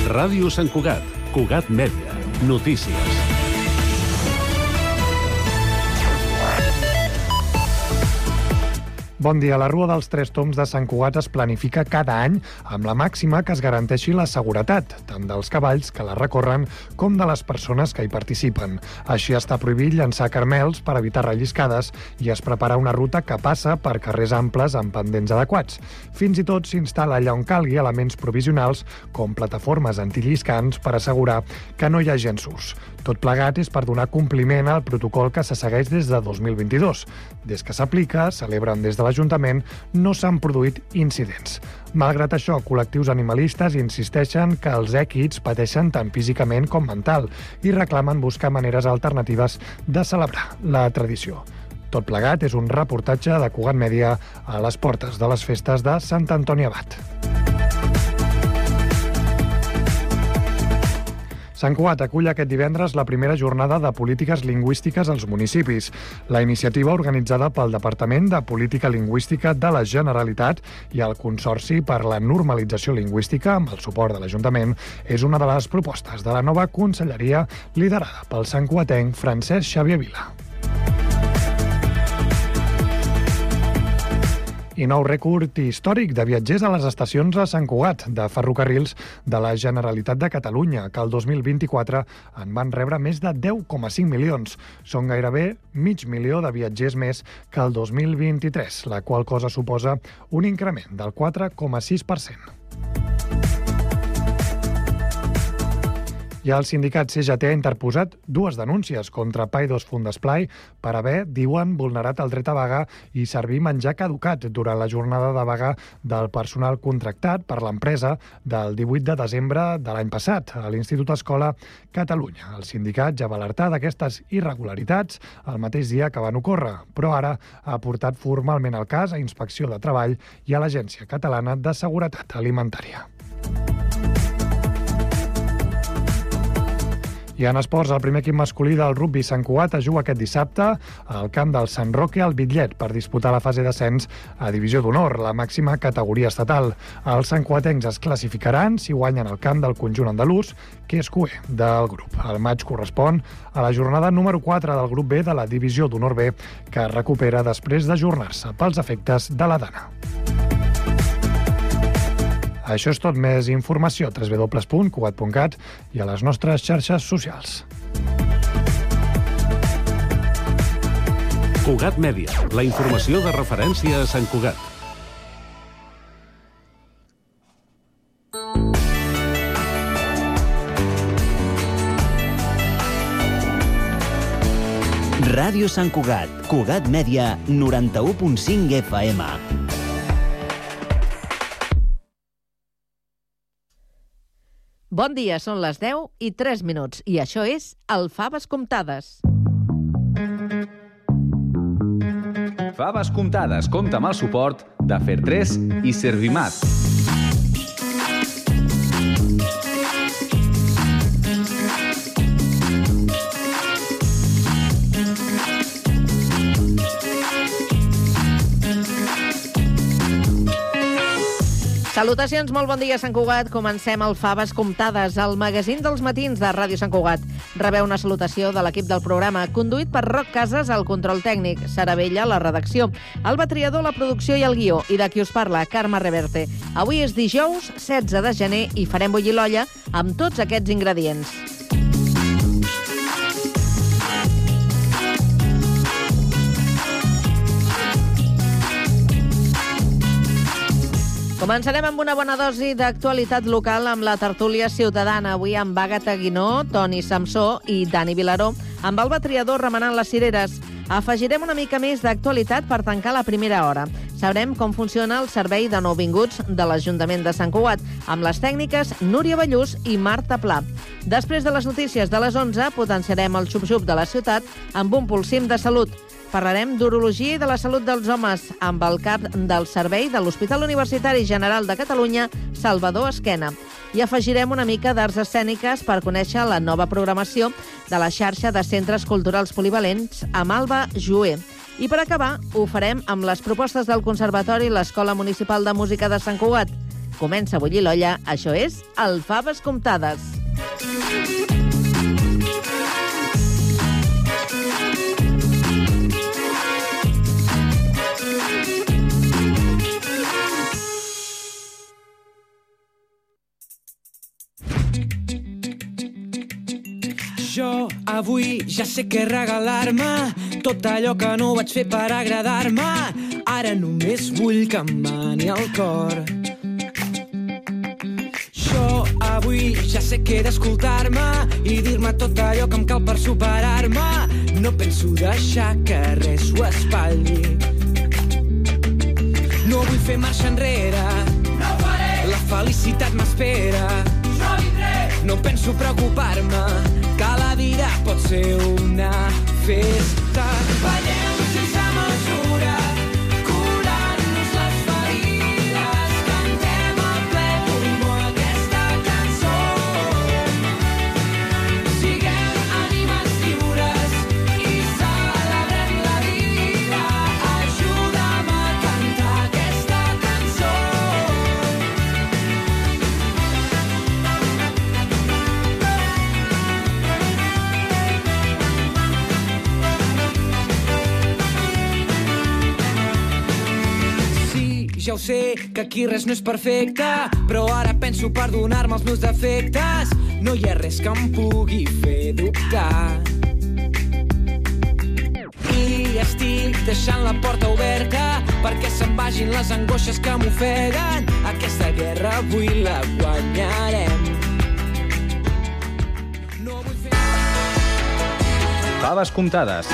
Ràdio Sant Cugat, Cugat Mèdia, notícies. Bon dia. La Rua dels Tres Tombs de Sant Cugat es planifica cada any amb la màxima que es garanteixi la seguretat, tant dels cavalls que la recorren com de les persones que hi participen. Així està prohibit llançar carmels per evitar relliscades i es prepara una ruta que passa per carrers amples amb pendents adequats. Fins i tot s'instal·la allà on calgui elements provisionals com plataformes antilliscants per assegurar que no hi ha llenços. Tot plegat és per donar compliment al protocol que se segueix des de 2022. Des que s'aplica, celebren des de l'Ajuntament, no s'han produït incidents. Malgrat això, col·lectius animalistes insisteixen que els èquids pateixen tant físicament com mental i reclamen buscar maneres alternatives de celebrar la tradició. Tot plegat és un reportatge de Cugat Mèdia a les portes de les festes de Sant Antoni Abat. Sant Cugat acull aquest divendres la primera jornada de polítiques lingüístiques als municipis. La iniciativa, organitzada pel Departament de Política Lingüística de la Generalitat i el Consorci per la Normalització Lingüística, amb el suport de l'Ajuntament, és una de les propostes de la nova conselleria liderada pel santcugatenc Francesc Xavier Vila. I nou rècord històric de viatgers a les estacions a Sant Cugat de ferrocarrils de la Generalitat de Catalunya, que el 2024 en van rebre més de 10,5 milions. Són gairebé 500.000 de viatgers més que el 2023, la qual cosa suposa un increment del 4,6%. I el sindicat CGT ha interposat 2 denúncies contra Paidós Fundesplai per haver, diuen, vulnerat el dret a vaga i servir menjar caducat durant la jornada de vaga del personal contractat per l'empresa del 18 de desembre de l'any passat a l'Institut Escola Catalunya. El sindicat ja va alertar d'aquestes irregularitats el mateix dia que van ocórrer, però ara ha portat formalment el cas a Inspecció de Treball i a l'Agència Catalana de Seguretat Alimentària. I en esports, el primer equip masculí del rugbi Sant Cugat es juga aquest dissabte al camp del Sant Roque al Bitllet per disputar la fase d'ascens a Divisió d'Honor, la màxima categoria estatal. Els santcugatencs es classificaran si guanyen el camp del conjunt andalús, que és cuer del grup. El maig correspon a la jornada número 4 del grup B de la Divisió d'Honor B, que es recupera després d'ajornar-se pels efectes de la dana. Això és tot. Més informació a www.cugat.cat i a les nostres xarxes socials. Cugat Mèdia, la informació de referència a Sant Cugat. Ràdio Sant Cugat, Cugat Mèdia, 91.5 FM. Bon dia, són les 10:03 i això és el Faves Comptades. Faves Comptades compta amb el suport de Fer3 i Servimat. Salutacions, molt bon dia, Sant Cugat. Comencem el Faves Comptades, el magazín dels matins de Ràdio Sant Cugat. Rebeu una salutació de l'equip del programa, conduït per Roc Casas, al control tècnic, Sara Vella, la redacció, Alba Triador, la producció i el guió, i de qui us parla, Carme Reverte. Avui és dijous, 16 de gener, i farem bullir l'olla amb tots aquests ingredients. Començarem amb una bona dosi d'actualitat local amb la tertúlia ciutadana. Avui amb Àgata Guinó, Toni Samsó i Dani Vilaró, amb Alba Triador remenant les cireres. Afegirem una mica més d'actualitat per tancar la primera hora. Sabrem com funciona el servei de nouvinguts de l'Ajuntament de Sant Cugat, amb les tècniques Núria Ballús i Marta Pla. Després de les notícies de les 11, potenciarem el xup-xup de la ciutat amb un pulsim de salut. Parlarem d'urologia i de la salut dels homes amb el cap del servei de l'Hospital Universitari General de Catalunya, Salvador Esquena. I afegirem una mica d'arts escèniques per conèixer la nova programació de la xarxa de centres culturals polivalents amb Alba Jué. I per acabar, ho farem amb les propostes del Conservatori i l'Escola Municipal de Música de Sant Cugat. comença a bullir l'olla, això és el Faves Comptades. Jo avui ja sé què regalar-me, tot allò que no vaig fer per agradar-me, ara només vull que em mani el cor. Jo avui ja sé què he d'escoltar-me i dir-me tot allò que em cal per superar-me, no penso deixar que res ho espatlli. No vull fer marxa enrere, no ho faré. La felicitat m'espera, jo vindré. No penso preocupar-me, que la vida pot ser una festa. Ballem sense mesura, curant-nos les ferides, cantem a ple pulmó aquesta cançó. Siguem ànimes lliures i celebrem la vida. Ajuda'm a cantar aquesta cançó. Ja ho sé, que aquí res no és perfecte, però ara penso per donar-me els meus defectes. No hi ha res que em pugui fer dubtar. I estic deixant la porta oberta perquè se'n vagin les angoixes que m'ofeguen. Aquesta guerra avui la guanyarem. No vull fer... Faves comptades.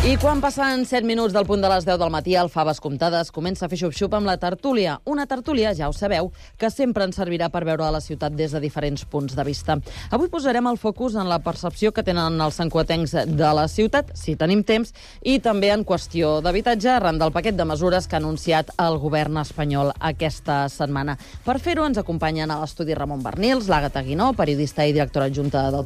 I quan passen 7 minuts del punt de les 10 del matí, el Faves Comptades comença a fer xup-xup amb la tertúlia. Una tertúlia, ja ho sabeu, que sempre ens servirà per veure la ciutat des de diferents punts de vista. Avui posarem el focus en la percepció que tenen els santcugatencs de la ciutat, si tenim temps, i també en qüestió d'habitatge, arran del paquet de mesures que ha anunciat el govern espanyol aquesta setmana. Per fer-ho ens acompanyen a l'estudi Ramon Bernils, l'Àgata Guinó, periodista i directora adjunta del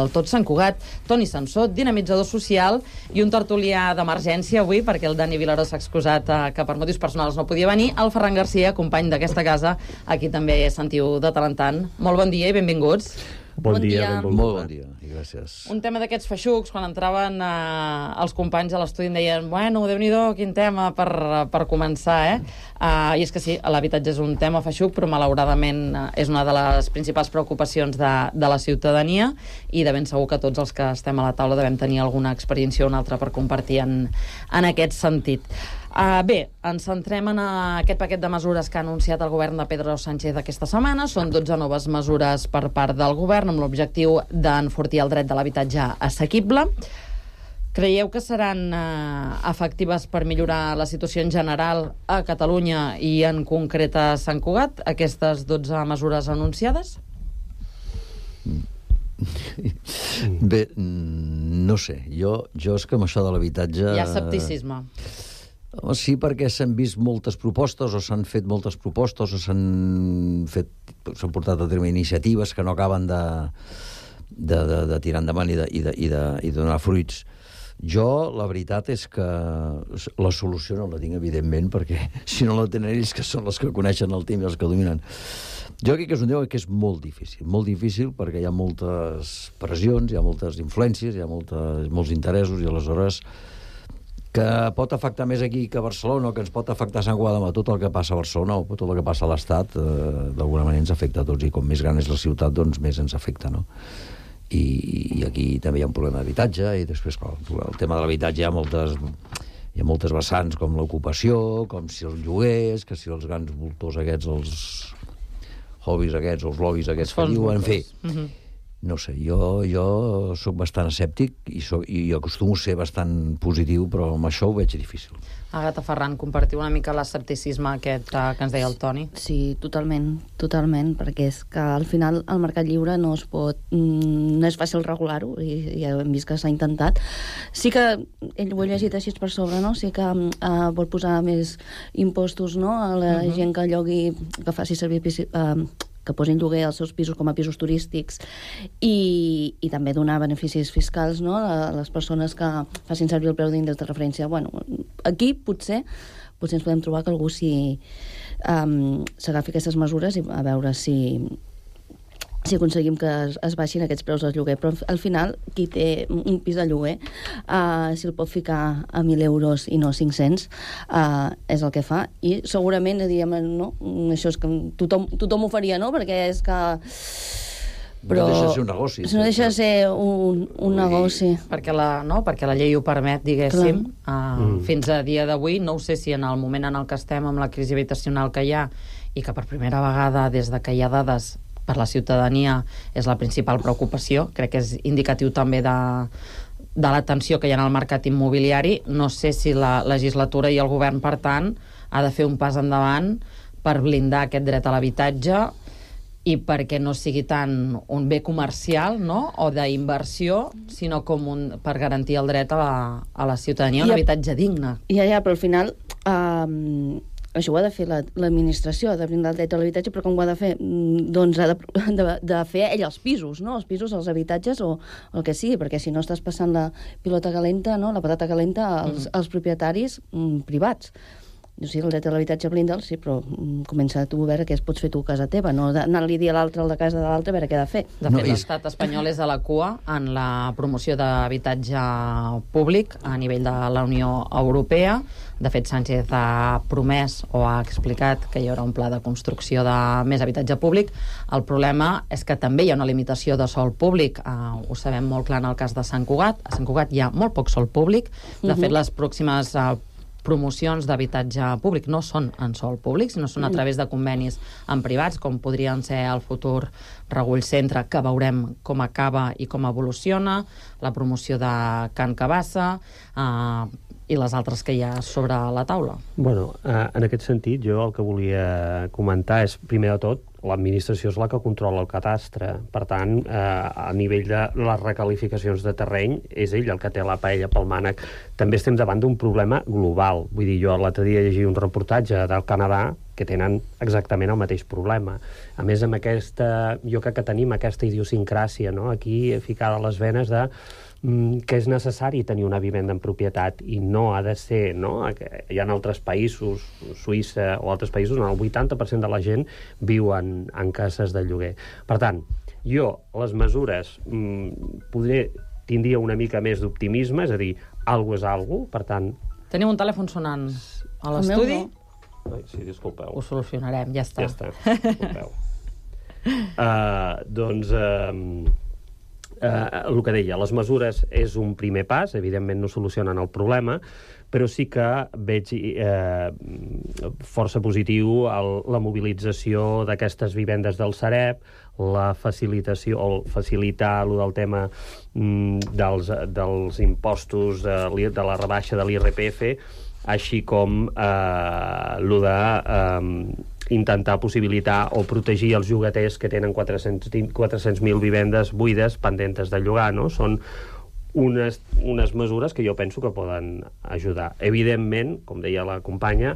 Tot Sant Cugat, Toni Samsó, dinamitzador social, i un tertulià d'emergència avui, perquè el Dani Vilaró s'ha excusat que per motius personals no podia venir, el Ferran Garcia, company d'aquesta casa, aquí també sentiu de tant en tant. Molt bon dia i benvinguts. Bon dia. Molt bon dia i gràcies. Un tema d'aquests feixucs, quan entraven els companys a l'estudi em deien, bueno, Déu-n'hi-do, quin tema per començar, I és que sí, l'habitatge és un tema feixuc, però malauradament és una de les principals preocupacions de la ciutadania, i de ben segur que tots els que estem a la taula devem tenir alguna experiència o una altra per compartir en aquest sentit. Bé, ens centrem en aquest paquet de mesures que ha anunciat el govern de Pedro Sánchez aquesta setmana. Són 12 noves mesures per part del govern amb l'objectiu d'enfortir el dret de l'habitatge assequible. Creieu que seran efectives per millorar la situació en general a Catalunya i en concret a Sant Cugat, aquestes 12 mesures anunciades? Bé, no sé. Jo és que amb això de l'habitatge... Hi ha escepticisme. Sí, perquè s'han vist moltes propostes, o s'han fet moltes propostes, o s'han portat a terme iniciatives que no acaben de tirar endavant i de donar fruits. Jo, la veritat és que la solució no la tinc, evidentment, perquè si no la tenen ells, que són els que coneixen el tema i els que dominen. Jo crec que és un tema que és molt difícil, perquè hi ha moltes pressions, hi ha moltes influències, hi ha molts interessos, i aleshores que pot afectar més aquí que a Barcelona, o que ens pot afectar a Sant Cugat, tot el que passa a Barcelona o tot el que passa a l'Estat, d'alguna manera ens afecta a tots, i com més gran és la ciutat, doncs més ens afecta, no? I aquí també hi ha un problema d'habitatge, i després, clar, el tema de l'habitatge hi ha moltes vessants, com l'ocupació, com si els lloguers, que si els grans voltors aquests, els hobbies aquests, els lobbies aquests que diuen, en fi. No sé, jo sóc bastant escèptic i acostumo a ser bastant positiu, però amb això ho veig difícil. Àgata Ferran, compartiu una mica l'escepticisme aquest que ens deia el Toni? Sí, totalment, perquè és que al final el mercat lliure no és fàcil regular-ho, i ja hem vist que s'ha intentat. Sí que ell ho ha llegit així per sobre, no? Sí que vol posar més impostos, no?, a la gent que llogui, que faci servir que posin lloguer als seus pisos com a pisos turístics i també donar beneficis fiscals, no?, a les persones que facin servir el preu d'índex de referència. Bueno, aquí potser ens podem trobar que algú s'agafi aquestes mesures i a veure si aconseguim que es baixin aquests preus del lloguer. Però al final, qui té un pis de lloguer, si el pot ficar a 1.000 euros i no 500, és el que fa. I segurament diríem, no, això és que tothom ho faria, no?, perquè és que... Però no deixa de ser un negoci. No deixa de ser un negoci. Perquè la llei ho permet, diguéssim. Fins a dia d'avui, no ho sé si en el moment en el que estem, amb la crisi habitacional que hi ha, i que per primera vegada, des de que hi ha dades per la ciutadania, és la principal preocupació. Crec que és indicatiu també de la tensió que hi ha en el mercat immobiliari. No sé si la legislatura i el govern, per tant, ha de fer un pas endavant per blindar aquest dret a l'habitatge i perquè no sigui tant un bé comercial, no?, o d'inversió, sinó com per garantir el dret a la ciutadania, un habitatge digne. Ja, però al final... això ho ha de fer l'administració, de brindar el dret a l'habitatge, però com ho ha de fer? Doncs ha de fer ell els pisos, no? Els pisos, els habitatges o el que sigui, perquè si no estàs passant la pilota calenta, no?, la patata calenta als propietaris privats. O sigui, el dret a l'habitatge blinda'l, sí, però comença tu a veure què pots fer tu a casa teva, no anar-li a dir a l'altre, el de casa de l'altre, a veure què ha de fer. De fet, l'estat espanyol és a la cua en la promoció d'habitatge públic a nivell de la Unió Europea. De fet, Sánchez ha promès o ha explicat que hi haurà un pla de construcció de més habitatge públic. El problema és que també hi ha una limitació de sòl públic. Ho sabem molt clar en el cas de Sant Cugat. A Sant Cugat hi ha molt poc sòl públic. De fet, les pròximes promocions d'habitatge públic no són en sòl públic, sinó són a través de convenis amb privats, com podrien ser el futur Regull Centre, que veurem com acaba i com evoluciona, la promoció de Can Cabassa i les altres que hi ha sobre la taula. Bueno, en aquest sentit, jo el que volia comentar és, primer de tot, l'administració és la que controla el cadastre. Per tant, a nivell de les recalificacions de terreny, és ell el que té la paella pel mànec. També estem davant d'un problema global. Vull dir, jo l'altre dia llegia un reportatge del Canadà que tenen exactament el mateix problema. A més, amb jo crec que tenim aquesta idiosincràsia, no?, aquí ficada a les venes de que és necessari tenir una vivenda en propietat i no ha de ser, no? Hi ha altres països, Suïssa o altres països, on el 80% de la gent viu en cases de lloguer. Per tant, jo les mesures tindria una mica més d'optimisme, és a dir, alguna és alguna, per tant... Tenim un telèfon sonant a l'estudi? Sí, disculpeu. Ho solucionarem, ja està. Ja està, disculpeu. El que deia, les mesures és un primer pas, evidentment no solucionen el problema, però sí que veig força positiu la mobilització d'aquestes vivendes del Sareb, la facilitació, o facilitar el del tema dels impostos, de la rebaixa de l'IRPF, així com el de intentar possibilitar o protegir els llogaters que tenen 400.000 vivendes buides pendentes de llogar, no? Són unes mesures que jo penso que poden ajudar. Evidentment, com deia la companya,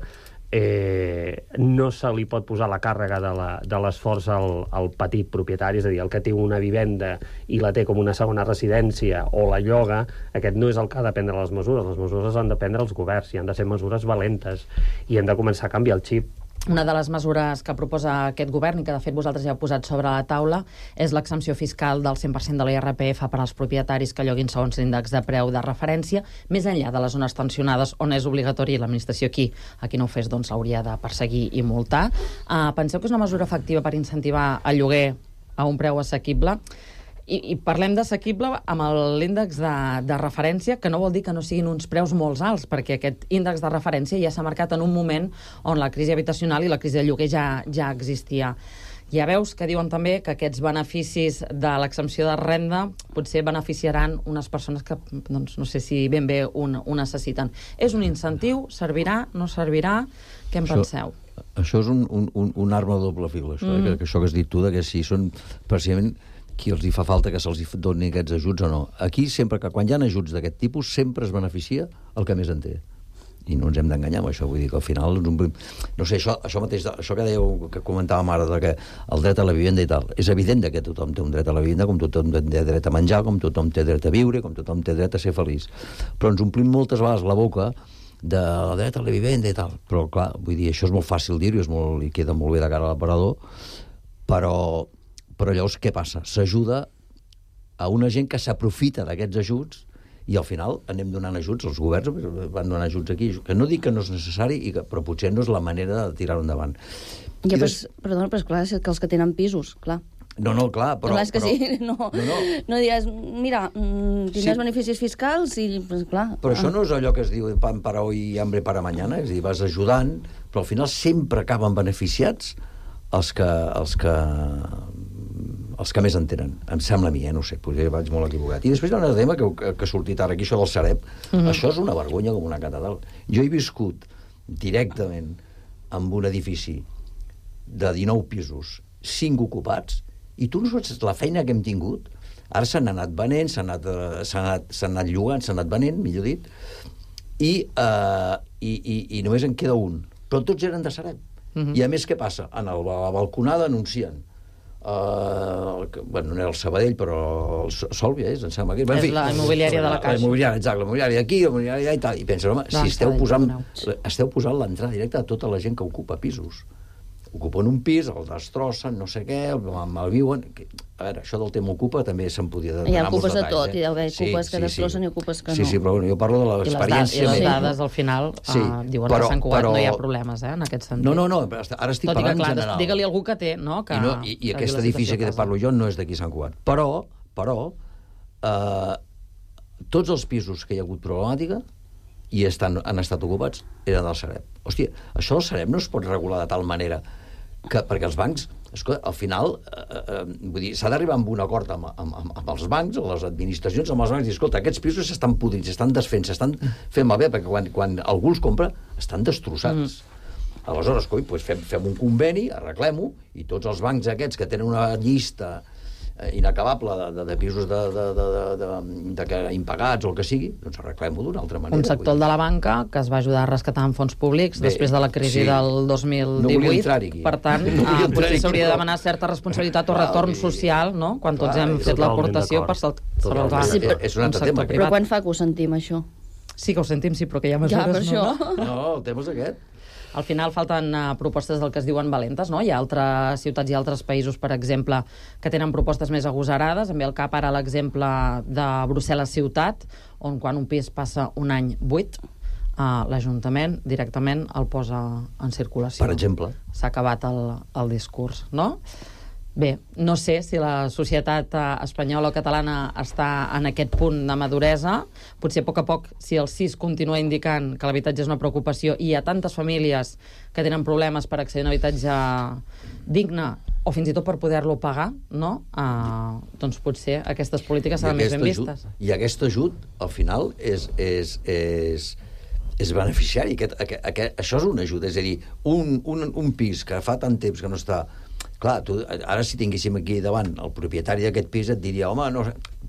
no se li pot posar la càrrega de l'esforç al petit propietari, és a dir, el que té una vivenda i la té com una segona residència o la lloga, aquest no és el que ha de prendre les mesures han de prendre els governs i han de ser mesures valentes i hem de començar a canviar el xip. Una de les mesures que proposa aquest govern i que de fet vosaltres ja heu posat sobre la taula és l'exempció fiscal del 100% de l'IRPF per als propietaris que lloguin segons l'índex de preu de referència, més enllà de les zones tensionades on és obligatori l'administració aquí no ho fes, doncs hauria de perseguir i multar. Penseu que és una mesura efectiva per incentivar el lloguer a un preu assequible? I parlem d'assequible amb l'índex de referència, que no vol dir que no siguin uns preus molt alts, perquè aquest índex de referència ja s'ha marcat en un moment on la crisi habitacional i la crisi de lloguer ja existia. Ja veus que diuen també que aquests beneficis de l'exempció de renda potser beneficiaran unes persones que doncs, no sé si ben bé ho necessiten. És un incentiu? Servirà? No servirà? Què en penseu? Això és un arma de doble fil, això, que això que has dit tu, que si són precisament qui els hi fa falta que se'ls donin aquests ajuts o no. Aquí, sempre que quan hi ha ajuts d'aquest tipus, sempre es beneficia el que més en té. I no ens hem d'enganyar amb això, vull dir que al final... No sé, això mateix, això que dèieu, que comentàvem ara, que el dret a la vivenda i tal, és evident que tothom té un dret a la vivenda, com tothom té dret a menjar, com tothom té dret a viure, com tothom té dret a ser feliç. Però ens omplim moltes vegades la boca del dret a la vivenda i tal. Però, clar, vull dir, això és molt fàcil dir-ho, i queda molt bé de cara a l'aparador, però llavors què passa? S'ajuda a una gent que s'aprofita d'aquests ajuts i al final anem donant ajuts, els governs van donant ajuts aquí, que no dic que no és necessari, però potser no és la manera de tirar-ho endavant. Ja, perdona, però és clar, és que els que tenen pisos, clar. No, clar, però... Clar, és que sí, no diràs, mira, tindràs beneficis fiscals i, pues, clar... Però això no és allò que es diu pan para hoy y hambre para mañana, és a dir, vas ajudant, però al final sempre acaben beneficiats els que més en tenen, em sembla a mi, no sé, potser vaig molt equivocat. I després hi ha un tema que ha sortit ara aquí, això del Sareb. Això és una vergonya com una catedral. Jo he viscut directament en un edifici de 19 pisos, 5 ocupats, i tu no saps la feina que hem tingut. Ara s'han anat venent, s'han anat llogant, s'han anat venent, millor dit, i només en queda un. Però tots eren de Sareb. I a més, què passa? A la balconada anuncien bueno, no era el Sabadell, però el Sòlvia em sembla que... És la immobiliària de la Caixa. La immobiliària d'aquí, la immobiliària i tal. I penses, home, si esteu posant l'entrada directa a tota la gent que ocupa pisos. Ocupen un pis, el destrossen, no sé què, el malviuen... A veure, això del tema ocupa també se'n podia donar molts detalls. Hi ha ocupes de tot, hi ha ocupes que destrossen i ocupes que no. Sí, però bueno, jo parlo de l'experiència... I les dades, al final, diuen que a Sant Cugat no hi ha problemes, en aquest sentit. No, ara estic parlant en general. Digue-li algú que té, no? I aquest edifici que parlo jo no és d'aquí Sant Cugat. Però, tots els pisos que hi ha hagut problemàtica i han estat ocupats eren del Sareb. Hòstia, això del Sareb no es pot regular de tal manera perquè els bancs, al final, vull dir, s'ha d'arribar amb un acord amb els bancs, amb les administracions, amb els bancs, i escolta, aquests pisos s'estan podrint, s'estan desfent, s'estan fent malbé, perquè quan algú els compra, estan destrossats. Aleshores, fem un conveni, arreglem-ho, i tots els bancs aquests que tenen una llista inacabable de pisos impagats o el que sigui, doncs arreglem-ho d'una altra manera. Un sector de la banca que es va ajudar a rescatar amb fons públics després de la crisi del 2018. Per tant, potser s'hauria de demanar certa responsabilitat o retorn social, no?, quan tots hem fet l'aportació per salvar. És un altre tema. Però quan fa que ho sentim, això? Sí que ho sentim, sí, però que hi ha mesures, no? No, el tema és aquest. Al final falten propostes del que es diuen valentes, no? Hi ha altres ciutats i altres països, per exemple, que tenen propostes més agosarades. Em ve al cap ara l'exemple de Brussel·les ciutat, on quan un pis passa un any buit, l'Ajuntament directament el posa en circulació. Per exemple. S'ha acabat el discurs, no? Bé, no sé si la societat espanyola o catalana està en aquest punt de maduresa. Potser a poc, si el CIS continua indicant que l'habitatge és una preocupació i hi ha tantes famílies que tenen problemes per accedir a un habitatge digne o fins i tot per poder-lo pagar, no? Doncs potser aquestes polítiques seran més ben vistes. I aquest ajut, al final, és beneficiari. Això és un ajut. És a dir, un pis que fa tant temps que no està... Clar, ara si tinguéssim aquí davant el propietari d'aquest pis et diria, home, no,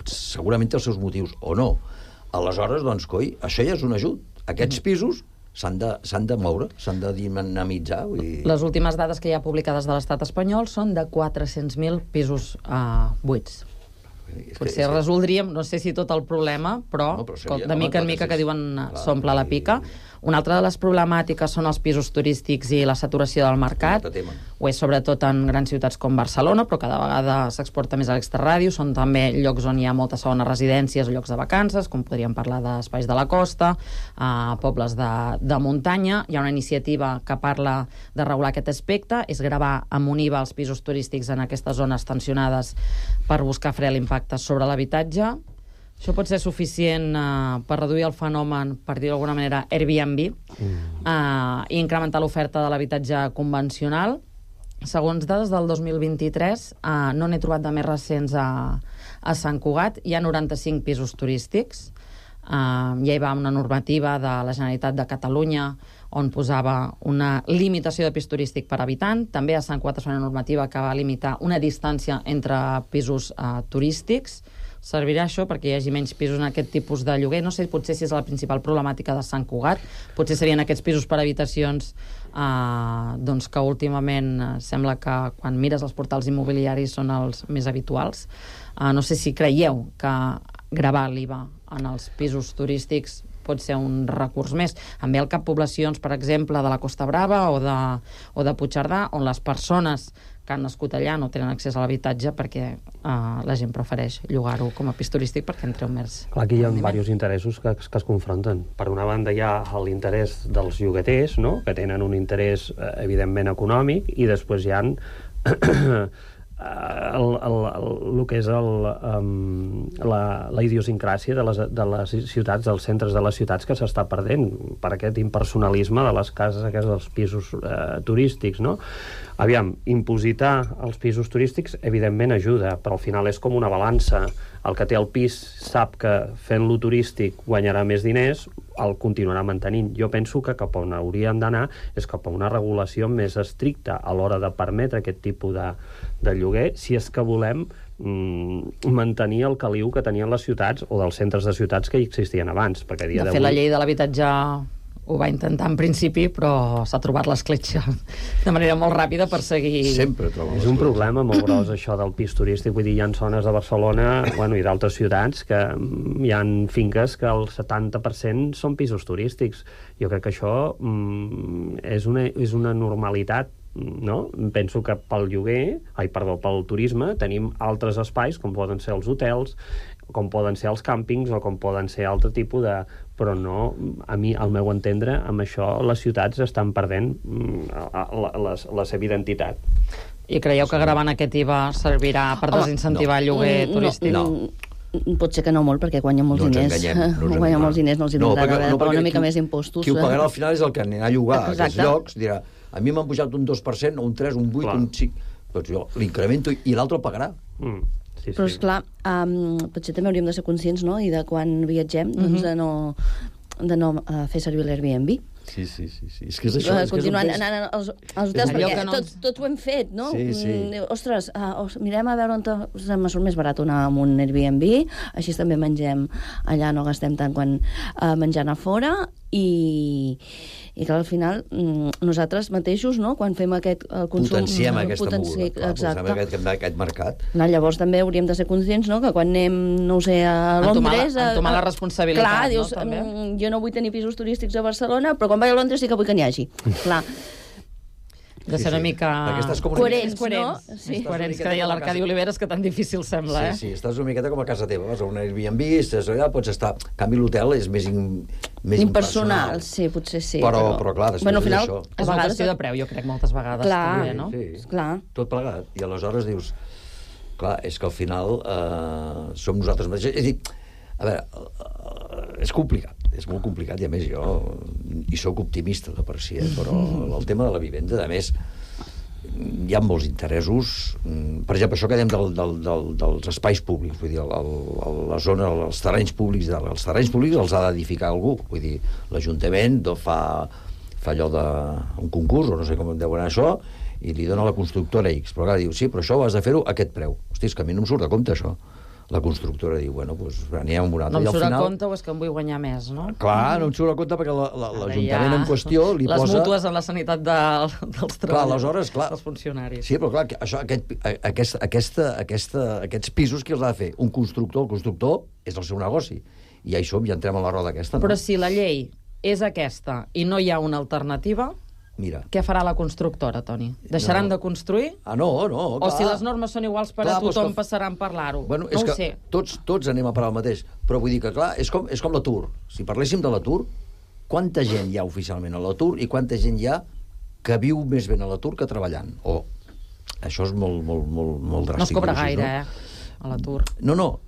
segurament té els seus motius, o no. Aleshores, doncs, coi, això ja és un ajut. Aquests pisos s'han de moure, s'han de dinamitzar. Les últimes dades que hi ha publicades de l'estat espanyol són de 400.000 pisos buits. Potser resoldríem, no sé si tot el problema, però de mica en mica que diuen s'omple la pica. Una altra de les problemàtiques són els pisos turístics i la saturació del mercat. Ho és sobretot en grans ciutats com Barcelona, però cada vegada s'exporta més a l'extraràdio. Són també llocs on hi ha moltes segones residències o llocs de vacances, com podríem parlar d'espais de la costa, pobles de muntanya. Hi ha una iniciativa que parla de regular aquest aspecte, és gravar amb un IVA els pisos turístics en aquestes zones tensionades per buscar fre l'impacte sobre l'habitatge. Això pot ser suficient per reduir el fenomen, per dir d'alguna manera, Airbnb, i incrementar l'oferta de l'habitatge convencional. segons dades del 2023, no n'he trobat de més recents a Sant Cugat, hi ha 95 pisos turístics. Ja hi va una normativa de la Generalitat de Catalunya on posava una limitació de pis turístic per habitant. També a Sant Cugat es fa una normativa que va limitar una distància entre pisos turístics. Servirà això perquè hi hagi menys pisos en aquest tipus de lloguer. No sé, potser si és la principal problemàtica de Sant Cugat. Potser serien aquests pisos per habitacions doncs que últimament sembla que quan mires els portals immobiliaris són els més habituals. No sé si creieu que gravar l'IVA en els pisos turístics pot ser un recurs més. Em ve al cap poblacions, per exemple, de la Costa Brava o de Puigcerdà, on les persones que han nascut allà no tenen accés a l'habitatge perquè la gent prefereix llogar-ho com a pis turístic perquè en treu més. Clar, aquí hi ha diversos interessos que es confronten. Per una banda hi ha l'interès dels llogaters, no?, que tenen un interès evidentment econòmic, i després hi ha el que és la idiosincràsia de les ciutats, dels centres de les ciutats, que s'està perdent per aquest impersonalisme de les cases aquests dels pisos turístics, no? Aviam, impositar els pisos turístics evidentment ajuda, però al final és com una balança. El que té el pis sap que fent-lo turístic guanyarà més diners, el continuarà mantenint. Jo penso que cap on hauríem d'anar és cap a una regulació més estricta a l'hora de permetre aquest tipus de lloguer, si és que volem mantenir el caliu que tenien les ciutats o dels centres de ciutats que hi existien abans. Perquè a dia de fet, la llei de l'habitatge ho va intentar en principi, però s'ha trobat l'escletxa de manera molt ràpida per seguir... Sempre trobo. És un problema molt gros, això del pis turístic. Vull dir, hi ha zones de Barcelona i d'altres ciutats que hi ha finques que el 70% són pisos turístics. Jo crec que això és una normalitat, no? Penso que pel turisme tenim altres espais, com poden ser els hotels, com poden ser els càmpings o com poden ser altre tipus de... Però no, a mi, al meu entendre, amb això les ciutats estan perdent la seva identitat. I creieu que gravant aquest IVA servirà per desincentivar el lloguer turístic? No. Pot ser que no molt, perquè guanya molts diners. Guanya molts diners, no els agradarà pagar una mica més impostos. Qui ho pagarà al final és el que anirà a llogar a aquests llocs, dirà, a mi m'han pujat un 2%, un 3, un 8, un 5... Doncs jo l'incremento i l'altre el pagarà. Sí. Però, esclar, potser també hauríem de ser conscients, no?, i de quan viatgem, doncs de no fer servir l'Airbnb. Sí. És que és això. Continuant anant als hotels, perquè tots ho hem fet, no? Sí. Ostres, mirem a veure on me surt més barat anar amb un Airbnb, així també mengem allà, no gastem tant quan menjant a fora, i que al final nosaltres mateixos, no?, quan fem aquest consum... Potenciem aquesta moguda, aquest mercat. Llavors també hauríem de ser conscients, no?, que quan anem, no ho sé, a Londres... Entomar la responsabilitat, clar, dius, jo no vull tenir pisos turístics a Barcelona, però quan vaig a Londres sí que vull que n'hi hagi. Clar. De ser una mica... Coherents, no? Sí. Coherents, que deia l'Arcadi Oliveres, que tan difícil sembla, Sí, estàs una miqueta com a casa teva, vas a un Airbnb, estàs allà, pots estar... En canvi, l'hotel és més impersonal. Sí, potser sí. Però clar, després d'això... És una qüestió de preu, jo crec, moltes vegades. Clar, no? Clar. Tot plegat. I aleshores dius... Clar, és que al final som nosaltres mateixos. És a dir, a veure, és complicat. És molt complicat, i a més jo hi soc optimista de per si, però el tema de la vivenda, a més, hi ha molts interessos. Per exemple, això que dèiem dels espais públics, vull dir, la zona, els terrenys públics els ha d'edificar algú. Vull dir, l'Ajuntament fa allò d'un concurs, o no sé com deu anar això, i li dona a la constructora X. Però clar, diu, sí, però això ho has de fer-ho a aquest preu. Hosti, és que a mi no em surt a compte, això. La constructora diu, bueno, doncs anirem amb un altre. No em surt a compte o és que em vull guanyar més, no? Clar, no em surt a compte perquè l'Ajuntament en qüestió li posa... Les mútues en la sanitat dels treballadors, dels funcionaris. Sí, però clar, aquests pisos qui els ha de fer? Un constructor. El constructor és el seu negoci. I ja hi som, ja entrem a la roda aquesta, no? Però si la llei és aquesta i no hi ha una alternativa... Mira. Què farà la constructora, Toni? Deixaran de construir? No, clar. O si les normes són iguals per a tothom, passaran per l'aro? Bueno, no ho sé. Tots anem a parar el mateix. Però vull dir que, clar, és com l'atur. Si parléssim de l'atur, quanta gent hi ha oficialment a l'atur i quanta gent hi ha que viu més ben a l'atur que treballant? Això és molt dràstic. No es cobra gaire, a l'atur. No.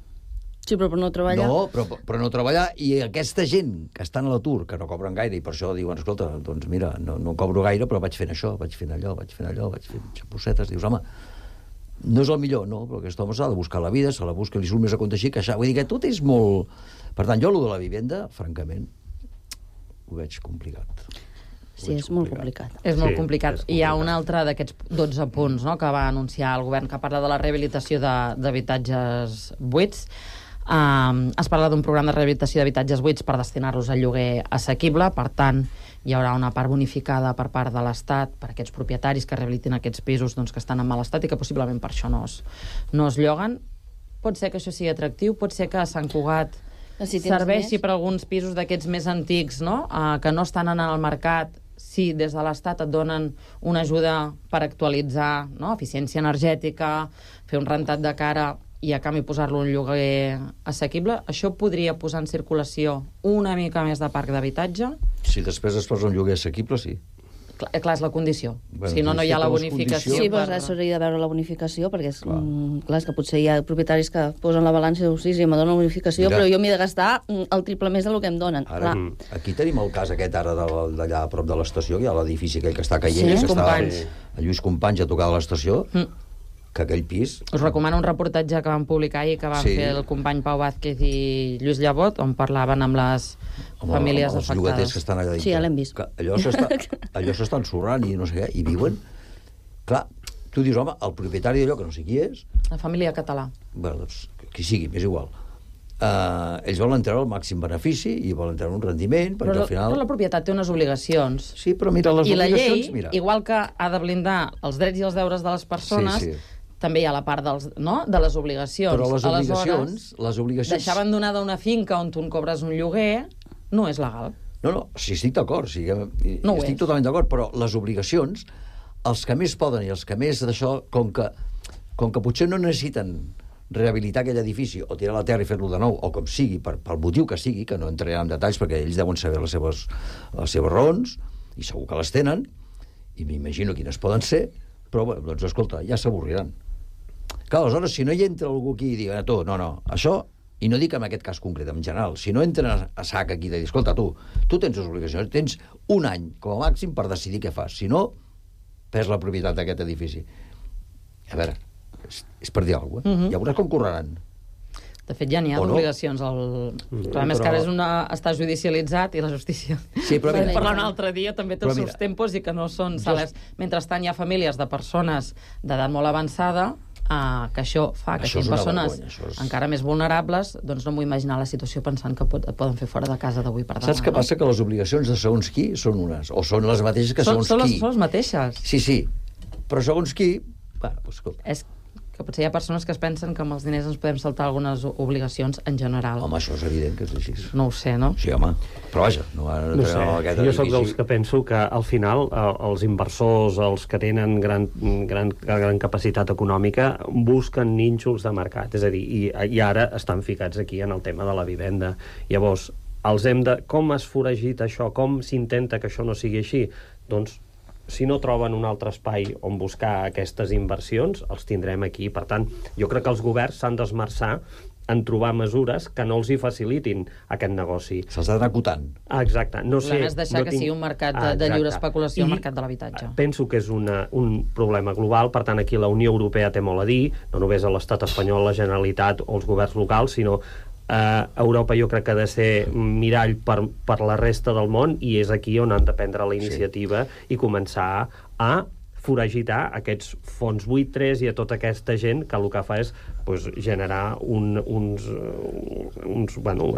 Sí, però per no treballar. No, però no treballar, i aquesta gent que estan a l'atur, que no cobren gaire, i per això diuen, escolta, doncs mira, no cobro gaire, però vaig fent això, vaig fent allò, vaig fent xapussetes, dius, home, no és el millor, no, però aquest home s'ha de buscar la vida, se la busca, li surt més a compte així que això. Vull dir que tot és molt... Per tant, jo, allò de la vivenda, francament, ho veig complicat. Sí, és molt complicat. És molt complicat. Hi ha un altre d'aquests 12 punts, no?, que va anunciar el govern, que parla de la rehabilitació d'habitatges buits. Es parla d'un programa de rehabilitació d'habitatges buits per destinar-los al lloguer assequible. Per tant, hi haurà una part bonificada per part de l'Estat per a aquests propietaris que rehabilitin aquests pisos, doncs, que estan en mal estat i que possiblement per això no es lloguen. Pot ser que això sigui atractiu, pot ser que a Sant Cugat serveixi per alguns pisos d'aquests més antics, no?, que no estan en el mercat. Si des de l'Estat et donen una ajuda per actualitzar, no?, eficiència energètica, fer un rentat de cara i a canvi posar-lo en lloguer assequible, això podria posar en circulació una mica més de parc d'habitatge? Si després es posa un lloguer assequible, sí. Clar, és la condició. Bueno, si no hi ha la bonificació. Sí, però s'hauria de veure la bonificació, perquè és que potser hi ha propietaris que posen la balança i diuen, sí, em donen la bonificació, però jo m'he de gastar el triple més del que em donen. Ara, aquí tenim el cas aquest ara d'allà a prop de l'estació, que hi ha l'edifici aquell que està caient, que està a Lluís Companys a tocar de l'estació, que aquell pis... Us recomano un reportatge que vam publicar ahir, que van fer el company Pau Vázquez i Lluís Llevot, on parlaven amb les famílies afectades. Els llogaters que estan allà dintre. Sí, ja l'hem vist. Allò s'està ensorrant i no sé què, i viuen... Clar, tu dius, home, el propietari d'allò, que no sé qui és... La família català. Bé, doncs, qui sigui, m'és igual. Ells volen treure el màxim benefici i volen treure un rendiment, perquè al final... Però la propietat té unes obligacions. Sí, però mira, les obligacions... I la llei, igual que ha de blindar els drets i els deures de les persones... També hi ha la part de les obligacions. Però les obligacions... Deixar abandonada una finca on tu en cobres un lloguer no és legal. No, sí, estic d'acord. Estic totalment d'acord, però les obligacions, els que més poden i els que més d'això, com que potser no necessiten rehabilitar aquell edifici o tirar la terra i fer-lo de nou, o com sigui, pel motiu que sigui, que no entraré en detalls perquè ells deuen saber les seves raons, i segur que les tenen, i m'imagino quines poden ser, però, bueno, doncs, escolta, ja s'avorriran. Clar, aleshores, si no hi entra algú aquí i diu, tu, no, això, i no dic en aquest cas concret, en general, si no entra a sac aquí de dir, escolta, tu tens les obligacions, tens un any com a màxim per decidir què fas, si no, perds la propietat d'aquest edifici. A veure, és per dir alguna cosa, ja veuràs com correran. De fet, ja n'hi ha d'obligacions. El problema és que ara està judicialitzat i la justícia... Sí, però mira... Parlar un altre dia també té els seus tempos i que no són salers. Mentrestant, hi ha famílies de persones d'edat molt avançada que això fa que siguin persones encara més vulnerables, doncs no m'ho imaginar la situació pensant que et poden fer fora de casa d'avui per demà. Saps què passa? Que les obligacions de segons qui són unes, o són les mateixes que segons qui. Són les mateixes. Sí, però segons qui... Bueno, doncs, és que potser hi ha persones que es pensen que amb els diners ens podem saltar algunes obligacions en general. Home, això és evident que és així. No ho sé, no? Sí, home. Però vaja, no sé. Jo soc dels que penso que al final els inversors, els que tenen gran capacitat econòmica, busquen nínxols de mercat. És a dir, i ara estan ficats aquí en el tema de la vivenda. Llavors, com es foragita això? Com s'intenta que això no sigui així? Doncs si no troben un altre espai on buscar aquestes inversions, els tindrem aquí. Per tant, jo crec que els governs s'han d'esmerçar en trobar mesures que no els hi facilitin aquest negoci. Se'ls ha d'anar acotant. Exacte. El problema és deixar que sigui un mercat de lliure especulació, el mercat de l'habitatge. Penso que és un problema global, per tant, aquí la Unió Europea té molt a dir, no només a l'estat espanyol, la Generalitat o els governs locals, sinó Europa jo crec que ha de ser mirall per la resta del món, i és aquí on han de prendre la iniciativa i començar a foragitar aquests fons buitres i a tota aquesta gent que el que fa és generar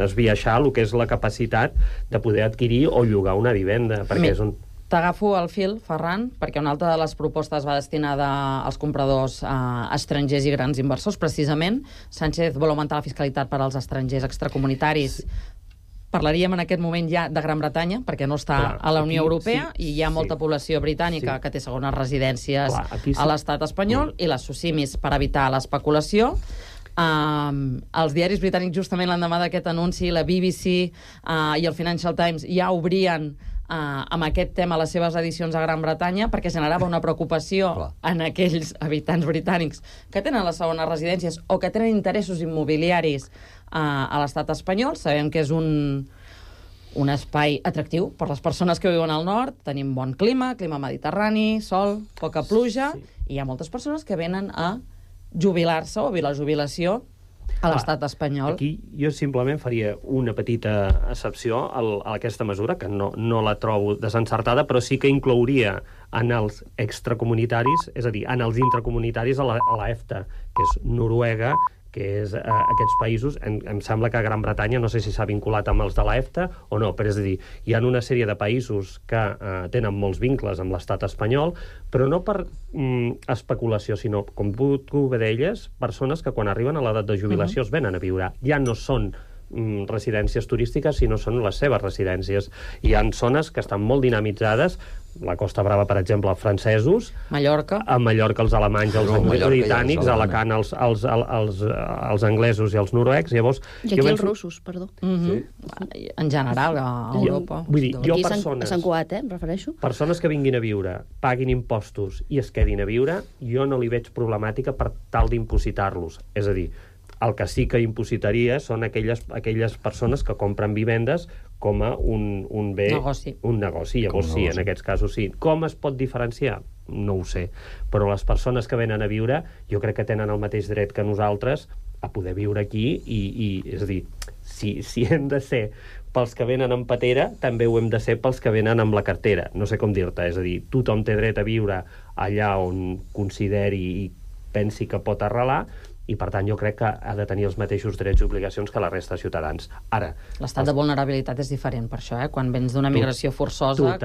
esbiaixar el que és la capacitat de poder adquirir o llogar una vivenda, perquè és un... T'agafo el fil, Ferran, perquè una altra de les propostes va destinada als compradors estrangers i grans inversors. Precisament, Sánchez vol augmentar la fiscalitat per als estrangers extracomunitaris. Parlaríem en aquest moment ja de Gran Bretanya, perquè no està a la Unió Europea, i hi ha molta població britànica que té segones residències a l'estat espanyol, i les SOCIMIs per evitar l'especulació. Els diaris britànics, justament l'endemà d'aquest anunci, la BBC i el Financial Times ja obrien amb aquest tema les seves edicions a Gran Bretanya perquè generava una preocupació en aquells habitants britànics que tenen les segones residències o que tenen interessos immobiliaris a l'estat espanyol. Sabem que és un espai atractiu per les persones que viuen al nord. Tenim bon clima mediterrani, sol, poca pluja, i hi ha moltes persones que venen a jubilar-se o a la jubilació a l'estat espanyol. Aquí jo simplement faria una petita excepció a aquesta mesura, que no la trobo desencertada, però sí que inclouria en els extracomunitaris, és a dir, en els intracomunitaris a la EFTA, que és Noruega, que és aquests països. Em sembla que Gran Bretanya no sé si s'ha vinculat amb els de la EFTA o no, però és a dir, hi ha una sèrie de països que tenen molts vincles amb l'estat espanyol, però no per especulació, sinó, com tu bé deies, persones que quan arriben a l'edat de jubilació es venen a viure. Ja no són residències turístiques, sinó són les seves residències. Hi ha zones que estan molt dinamitzades, la Costa Brava, per exemple, els francesos, Mallorca, a Mallorca els alemanys, els britànics, a Alacant els anglesos i els noruecs. Llavors, i aquí els russos, perdó. En general, a Europa. Vull dir, jo a Sant Cugat, em refereixo. Persones que vinguin a viure, paguin impostos i es quedin a viure, jo no li veig problemàtica per tal d'impositar-los. És a dir, el que sí que impositaria són aquelles persones que compren vivendes com a un bé... Un negoci. Llavors sí, en aquests casos sí. Com es pot diferenciar? No ho sé. Però les persones que venen a viure jo crec que tenen el mateix dret que nosaltres a poder viure aquí i és a dir, si hem de ser pels que venen amb patera, també ho hem de ser pels que venen amb la cartera. No sé com dir-te. És a dir, tothom té dret a viure allà on consideri i pensi que pot arrelar, i per tant jo crec que ha de tenir els mateixos drets i obligacions que la resta de ciutadans. Ara... L'estat de vulnerabilitat és diferent per això, quan vens d'una migració forçosa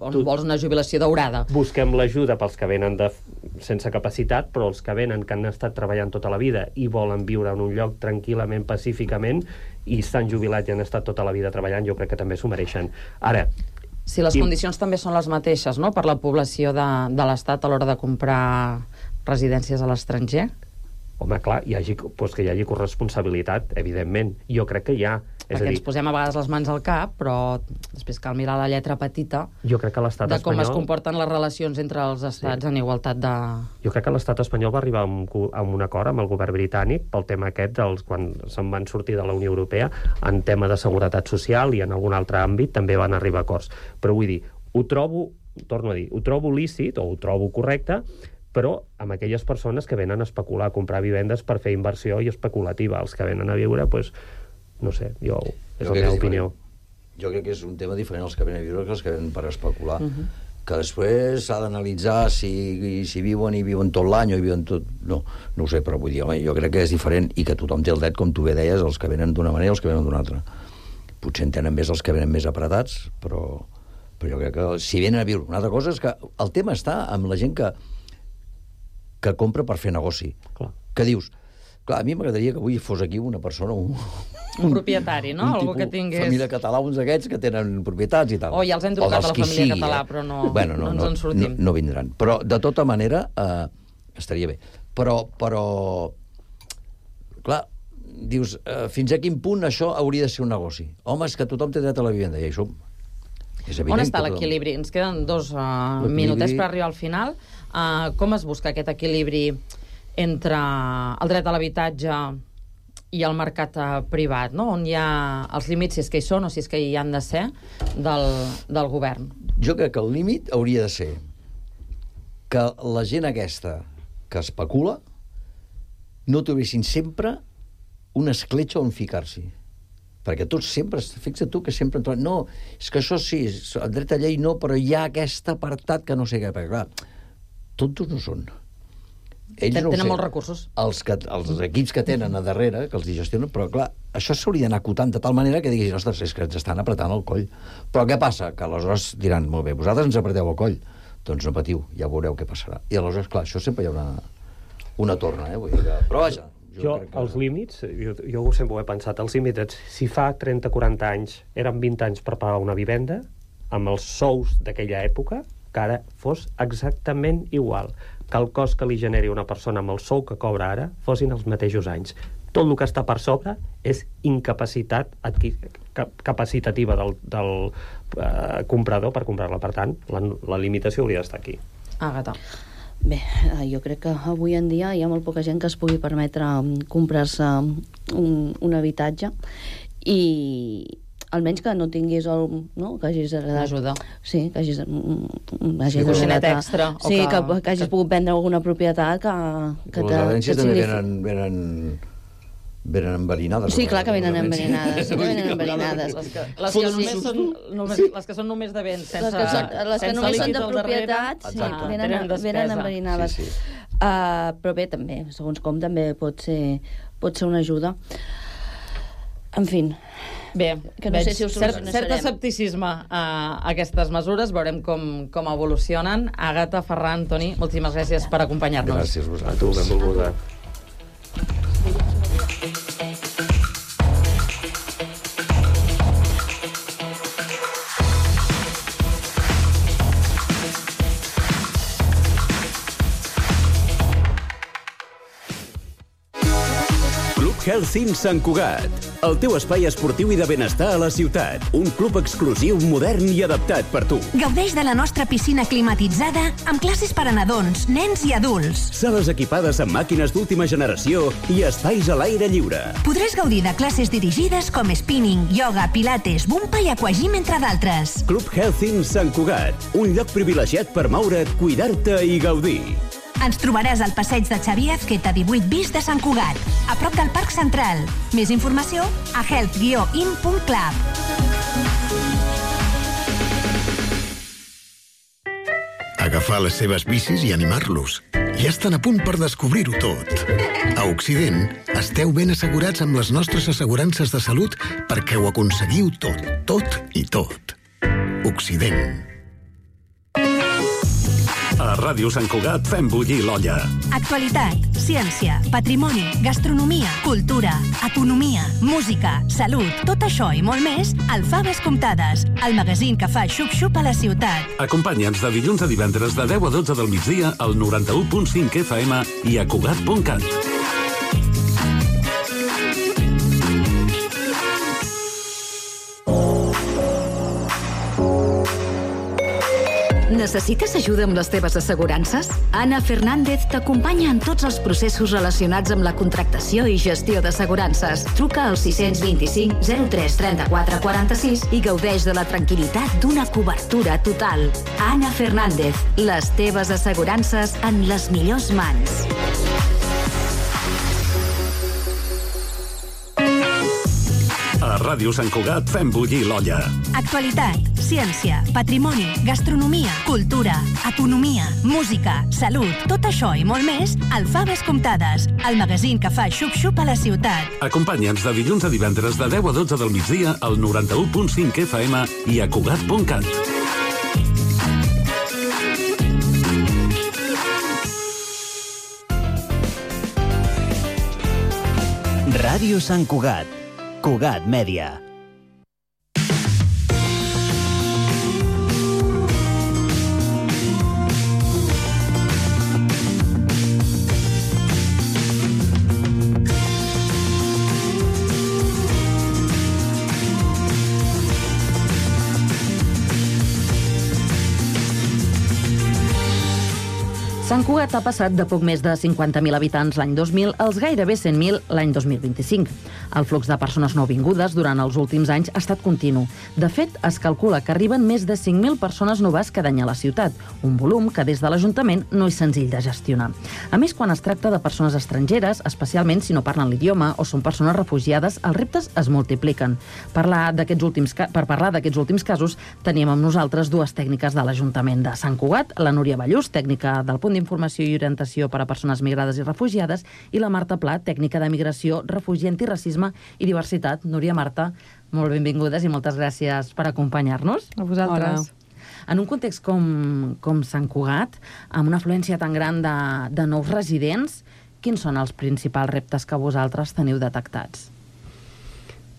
on vols una jubilació daurada. Busquem l'ajuda pels que venen sense capacitat, però els que venen que han estat treballant tota la vida i volen viure en un lloc tranquil·lament, pacíficament, i s'han jubilat i han estat tota la vida treballant, jo crec que també s'ho mereixen. Ara... Si les condicions també són les mateixes, no?, per la població de l'Estat a l'hora de comprar residències a l'estranger? Home, clar, que hi hagi corresponsabilitat, evidentment. Jo crec que hi ha. Perquè ens posem a vegades les mans al cap, però després cal mirar la lletra petita jo crec que l'estat de com espanyol... es comporten les relacions entre els estats en igualtat de... Jo crec que l'estat espanyol va arribar a un acord amb el govern britànic pel tema aquest, quan se'n van sortir de la Unió Europea, en tema de seguretat social i en algun altre àmbit també van arribar a acords. Però vull dir, ho trobo lícit, o ho trobo correcte, però amb aquelles persones que venen a especular, a comprar vivendes per fer inversió i especulativa. Els que venen a viure, doncs, no sé, és la meva opinió. Jo crec que és un tema diferent els que venen a viure que els que venen per especular. Que després s'ha d'analitzar si viuen i viuen tot l'any o viuen tot... No ho sé, però vull dir, home, jo crec que és diferent i que tothom té el dret, com tu bé deies, els que venen d'una manera i els que venen d'una altra. Potser en tenen més els que venen més apretats, però jo crec que si venen a viure... Una altra cosa és que el tema està amb la gent que compra per fer negoci. Clar. Que dius, clar, a mi m'agradaria que avui fos aquí una persona, un propietari, no? Algú que tingués... família català, uns d'aquests que tenen propietats i tal. Ja els hem trucat a la família català, però no ens en sortim. No vindran. Però, de tota manera, estaria bé. Però, clar, dius, fins a quin punt això hauria de ser un negoci? Home, és que tothom té dret a la vivenda, i això és evident. On està l'equilibri? Ens queden 2 minutets per arribar al final. Com es busca aquest equilibri entre el dret a l'habitatge i el mercat privat, no? On hi ha els límits, si és que hi són o si és que hi han de ser, del govern? Jo crec que el límit hauria de ser que la gent aquesta que especula no trobessin sempre una escletxa on ficar-s'hi. Perquè tots sempre, fixa't tu, que sempre... No, és que això sí, el dret a llei no, però hi ha aquest apartat que no sé què, perquè clar, tontos no són. Ells no tenen molts recursos. Els equips que tenen a darrere, que els gestionen, però clar, això s'hauria d'anar acotant de tal manera que diguis, ostres, és que ens estan apretant el coll. Però què passa? Que aleshores diran, molt bé, vosaltres ens apreteu el coll. Doncs no patiu, ja veureu què passarà. I aleshores, clar, això sempre hi ha una torna, Vull dir que... Però vaja... Els límits, jo sempre ho he pensat, els límits, si fa 30-40 anys eren 20 anys per pagar una vivenda, amb els sous d'aquella època, que ara fos exactament igual, que el cost que li generi una persona amb el sou que cobra ara fossin els mateixos anys. Tot el que està per sobre és incapacitat capacitativa del comprador per comprar-la. Per tant, la limitació hauria d'estar aquí. Àgata. Bé, jo crec que avui en dia hi ha molt poca gent que es pugui permetre comprar-se un habitatge i almenys que no tinguis que hagis heredat... Ajuda. Sí, que hagis coixinet extra. Sí, que hagis pogut vendre alguna propietat que les herències també venen enverinades. Sí, clar que venen enverinades. Les que són només de béns, sense les que només són de propietat, venen enverinades. Però bé, també, segons com, també pot ser una ajuda. En fi... Bé, que no sé si ho solucionarem. Cert escepticisme a aquestes mesures, veurem com evolucionen. Àgata, Ferran, Toni, moltíssimes gràcies per acompanyar-nos. Gràcies a vosaltres. A tu, benvolguda. Health Sant Cugat, el teu espai esportiu i de benestar a la ciutat. Un club exclusiu, modern i adaptat per tu. Gaudeix de la nostra piscina climatitzada amb classes per a nadons, nens i adults. Sales equipades amb màquines d'última generació i espais a l'aire lliure. Podràs gaudir de classes dirigides com spinning, yoga, pilates, bumpa i aquagym, entre d'altres. Club Health Sant Cugat, un lloc privilegiat per moure't, cuidar-te i gaudir. Ens trobaràs al passeig de Xavier Azqueta 18 bis de Sant Cugat, a prop del Parc Central. Més informació a health-in.club. Agafar les seves bicis i animar-los. Ja estan a punt per descobrir-ho tot. A Occident, esteu ben assegurats amb les nostres assegurances de salut perquè ho aconseguiu tot i tot. Occident. A Ràdio Sant Cugat fem bullir l'olla. Actualitat, ciència, patrimoni, gastronomia, cultura, economia, música, salut, tot això i molt més al Faves Comptades, el magazín que fa xup-xup a la ciutat. Acompanya'ns de dilluns a divendres de 10 a 12 del migdia al 91.5 FM i a Cugat.cat. Necessites ajuda amb les teves assegurances? Anna Fernández t'acompanya en tots els processos relacionats amb la contractació i gestió d'assegurances. Truca al 625 03 34 46 i gaudeix de la tranquil·litat d'una cobertura total. Anna Fernández, les teves assegurances en les millors mans. A Ràdio Sant Cugat fem bullir l'olla. Actualitat, ciència, patrimoni, gastronomia, cultura, economia, música, salut, tot això i molt més al Faves Comptades, el magazín que fa xup-xup a la ciutat. Acompanya'ns de dilluns a divendres de 10 a 12 del migdia al 91.5 FM i a Cugat.cat. Ràdio Sant Cugat, Cugat Mèdia. Sant Cugat ha passat de poc més de 50.000 habitants l'any 2000 als gairebé 100.000 l'any 2025. El flux de persones nouvingudes durant els últims anys ha estat continu. De fet, es calcula que arriben més de 5.000 persones noves cada any a la ciutat, un volum que des de l'Ajuntament no és senzill de gestionar. A més, quan es tracta de persones estrangeres, especialment si no parlen l'idioma o són persones refugiades, els reptes es multipliquen. Per parlar d'aquests últims casos, tenim amb nosaltres dues tècniques de l'Ajuntament de Sant Cugat, la Núria Ballús, tècnica del Punt d'Informació i Orientació per a Persones Migrades i Refugiades, i la Marta Pla, tècnica de Migració, Refugi, Antiracisme i Diversitat. Núria, Marta, molt benvingudes i moltes gràcies per acompanyar-nos. A vosaltres. Hola. En un context com Sant Cugat, amb una afluència tan gran de nous residents, quins són els principals reptes que vosaltres teniu detectats?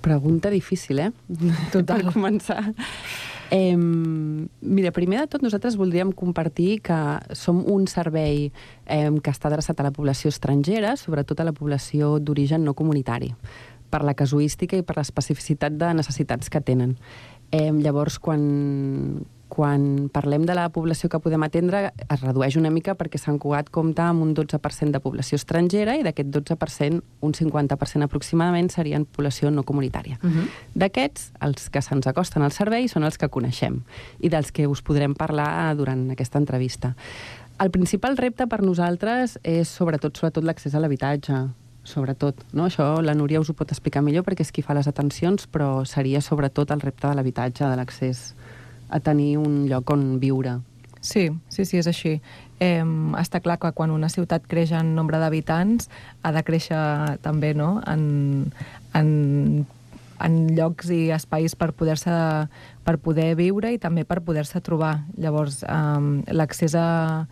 Pregunta difícil, Total. Per començar. Mira, primer de tot nosaltres voldríem compartir que som un servei que està adreçat a la població estrangera, sobretot a la població d'origen no comunitari, per la casuística i per l'especificitat de necessitats que tenen. Llavors, quan parlem de la població que podem atendre, es redueix una mica perquè Sant Cugat compta amb un 12% de població estrangera i d'aquest 12%, un 50% aproximadament, serien població no comunitària. D'aquests, els que se'ns acosten al servei són els que coneixem i dels que us podrem parlar durant aquesta entrevista. El principal repte per nosaltres és sobretot l'accés a l'habitatge, sobretot, no? Això la Núria us ho pot explicar millor perquè és qui fa les atencions, però seria sobretot el repte de l'habitatge, de l'accés a tenir un lloc on viure. Sí, és així. Està clar que quan una ciutat creix en nombre d'habitants ha de créixer també, no?, en llocs i espais per poder viure i també per poder-se trobar. Llavors, l'accés a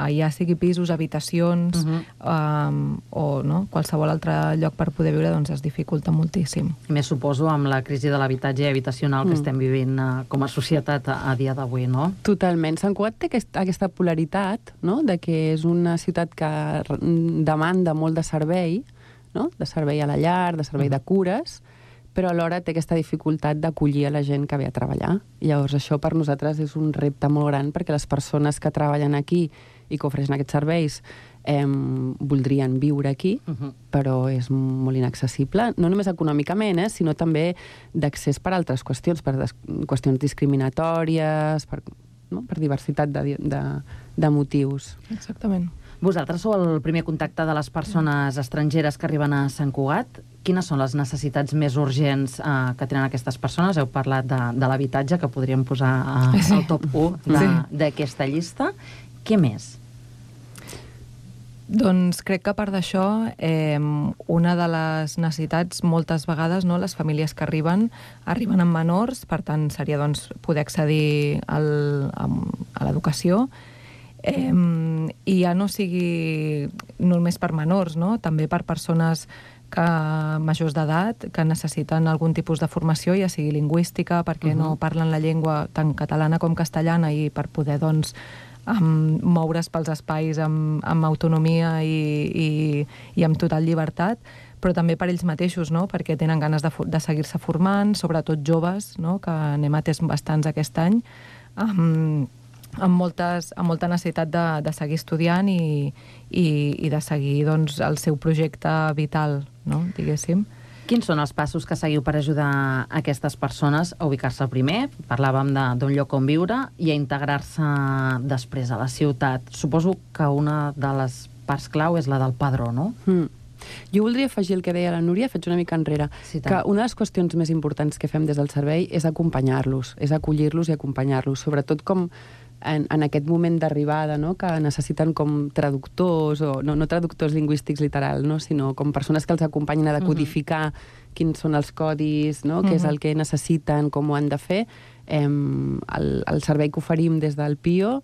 ja sigui pisos, habitacions o qualsevol altre lloc per poder viure, doncs es dificulta moltíssim. Més suposo amb la crisi de l'habitatge habitacional que estem vivint com a societat a dia d'avui, no? Totalment. Sant Cugat té aquesta polaritat, no?, de que és una ciutat que demanda molt de servei, no?, de servei a la llar, de servei de cures, però alhora té aquesta dificultat d'acollir a la gent que ve a treballar. Llavors això per nosaltres és un repte molt gran perquè les persones que treballen aquí i que ofereixen aquests serveis voldrien viure aquí, però és molt inaccessible, no només econòmicament, sinó també d'accés per altres qüestions, per qüestions discriminatòries, per diversitat de motius. Exactament. Vosaltres sou el primer contacte de les persones estrangeres que arriben a Sant Cugat. Quines són les necessitats més urgents que tenen aquestes persones? Heu parlat de l'habitatge, que podríem posar al top 1 d'aquesta llista. Què més? Doncs crec que a part d'això, una de les necessitats, moltes vegades, no, les famílies que arriben amb menors, per tant seria poder accedir a l'educació, i ja no sigui només per menors, no? També per persones majors d'edat que necessiten algun tipus de formació, ja sigui lingüística, perquè no parlen la llengua tant catalana com castellana, i per poder moure's pels espais amb autonomia i amb total llibertat, però també per ells mateixos, no?, perquè tenen ganes de seguir-se formant, sobretot joves, no?, que n'hem atès bastants aquest any, amb molta necessitat de seguir estudiant i de seguir el seu projecte vital, no?, diguéssim. Quins són els passos que seguiu per ajudar aquestes persones a ubicar-se primer? Parlàvem d'un lloc on viure i a integrar-se després a la ciutat. Suposo que una de les parts clau és la del padró, no? Jo voldria afegir el que deia la Núria, faig una mica enrere, que una de les qüestions més importants que fem des del servei és acompanyar-los, és acollir-los i acompanyar-los, sobretot com en aquest moment d'arribada, no?, que necessiten com traductors, o no traductors lingüístics literal, no?, sinó com persones que els acompanyin a decodificar quins són els codis, no?, què és el que necessiten, com ho han de fer. El servei que oferim des del PIO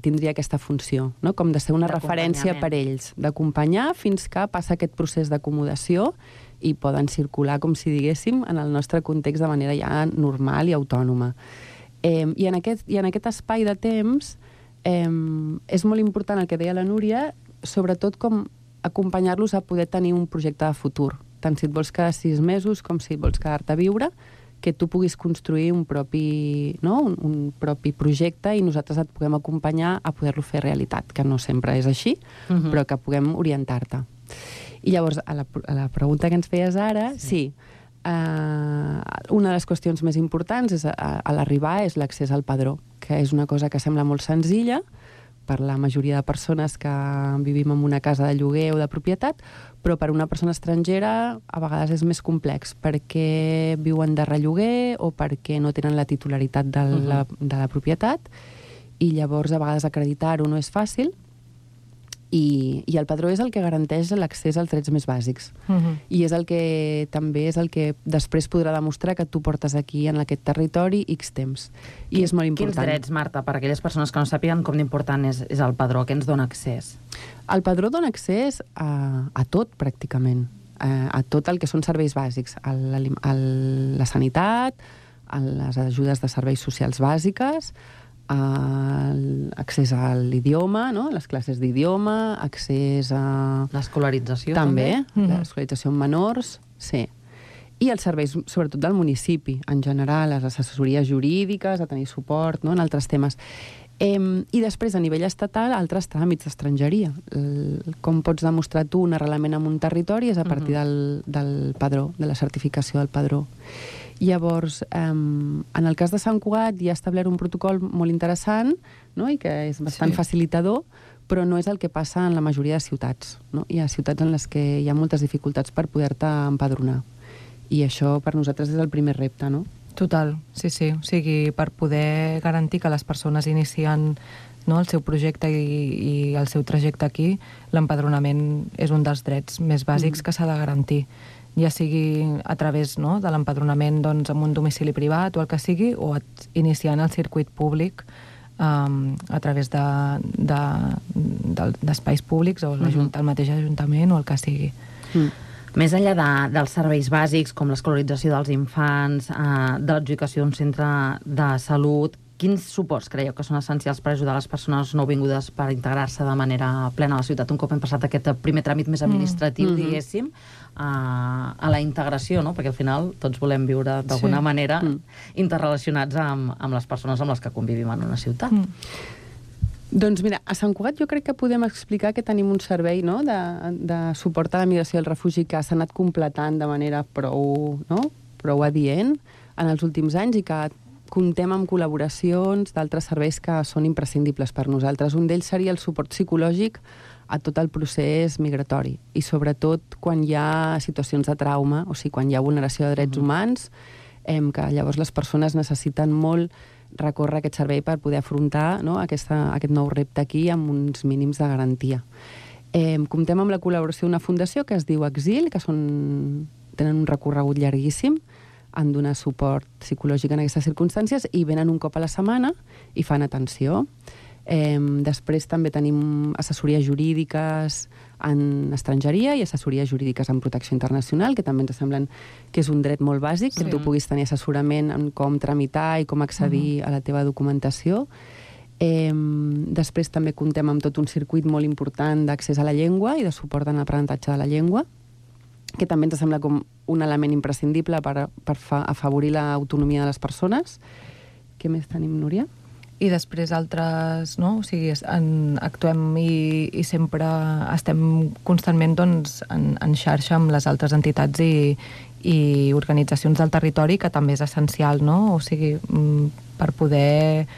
tindria aquesta funció, no?, com de ser una referència per ells, d'acompanyar fins que passa aquest procés d'acomodació i poden circular, com si diguéssim, en el nostre context de manera ja normal i autònoma. I en aquest espai de temps és molt important el que deia la Núria, sobretot com acompanyar-los a poder tenir un projecte de futur, tant si et vols quedar 6 mesos com si et vols quedar-te a viure, que tu puguis construir un propi projecte i nosaltres et puguem acompanyar a poder-lo fer realitat, que no sempre és així, però que puguem orientar-te. I llavors, a la pregunta que ens feies ara, sí, una de les qüestions més importants a l'arribar és l'accés al padró, que és una cosa que sembla molt senzilla per la majoria de persones que vivim en una casa de lloguer o de propietat, però per una persona estrangera a vegades és més complex, perquè viuen de relloguer o perquè no tenen la titularitat de la propietat, i llavors a vegades acreditar-ho no és fàcil, i el padró és el que garanteix l'accés als drets més bàsics. I és el que també és el que després podrà demostrar que tu portes aquí, en aquest territori, X temps. I és molt important. Quins drets, Marta, per a aquelles persones que no sàpiguen com d'important és el padró? Què ens dona accés? El padró dona accés a tot, pràcticament. A tot el que són serveis bàsics. La sanitat, a les ajudes de serveis socials bàsiques, accés a l'idioma, no? Les classes d'idioma, accés a... L'escolarització també. L'escolarització en menors, sí. I els serveis, sobretot del municipi, en general, les assessories jurídiques, a tenir suport, no? En altres temes. I després, a nivell estatal, altres tràmits d'estrangeria. Com pots demostrar tu un arrelament en un territori és a partir del padró, de la certificació del padró. Llavors, en el cas de Sant Cugat hi ha establert un protocol molt interessant, no? I que és bastant facilitador, però no és el que passa en la majoria de ciutats. No? Hi ha ciutats en les que hi ha moltes dificultats per poder-te empadronar. I això per nosaltres és el primer repte, no? Total, sí. O sigui, per poder garantir que les persones inicien, no, el seu projecte i el seu trajecte aquí, l'empadronament és un dels drets més bàsics que s'ha de garantir. Ja sigui a través, no, de l'empadronament doncs, en un domicili privat o el que sigui, o iniciant el circuit públic a través d'espais públics o el mateix ajuntament o el que sigui. Més enllà dels serveis bàsics, com l'escolarització dels infants, de l'adjudicació d'un centre de salut, quins suports creieu que són essencials per ajudar les persones nouvingudes per integrar-se de manera plena a la ciutat, un cop hem passat aquest primer tràmit més administratiu, diguéssim, a la integració, no? Perquè al final tots volem viure d'alguna manera interrelacionats amb les persones amb les que convivim en una ciutat. Doncs mira, a Sant Cugat jo crec que podem explicar que tenim un servei, no?, de suport a la migració i el refugi que s'ha anat completant de manera prou adient en els últims anys i que comptem amb col·laboracions d'altres serveis que són imprescindibles per nosaltres. Un d'ells seria el suport psicològic a tot el procés migratori i sobretot quan hi ha situacions de trauma, o sigui, quan hi ha vulneració de drets humans, que llavors les persones necessiten molt recórrer aquest servei per poder afrontar, no, aquest nou repte aquí amb uns mínims de garantia. Comptem amb la col·laboració d'una fundació que es diu Exil, que tenen un recorregut llarguíssim, han donat suport psicològic en aquestes circumstàncies i venen un cop a la setmana i fan atenció. Després també tenim assessories jurídiques en estrangeria i assessories jurídiques en protecció internacional, que també ens semblen que és un dret molt bàsic, que tu puguis tenir assessorament en com tramitar i com accedir a la teva documentació. Després també comptem amb tot un circuit molt important d'accés a la llengua i de suport en l'aprenentatge de la llengua, que també ens sembla com un element imprescindible per afavorir l'autonomia de les persones. Què més tenim, Núria? I després altres, no? O sigui, actuem i sempre estem constantment doncs, en xarxa amb les altres entitats i organitzacions del territori, que també és essencial, no? O sigui, per poder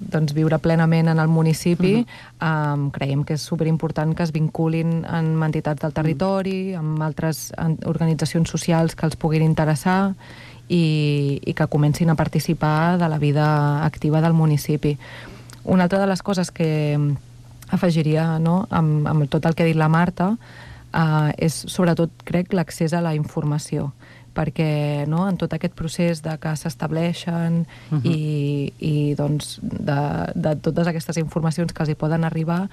doncs, viure plenament en el municipi, creiem que és superimportant que es vinculin amb entitats del territori, amb altres organitzacions socials que els puguin interessar i que comencin a participar de la vida activa del municipi. Una altra de les coses que afegiria, no, amb tot el que ha dit la Marta, és sobretot, crec, l'accés a la informació, perquè no, en tot aquest procés de que s'estableixen i doncs, de totes aquestes informacions que els hi poden arribar,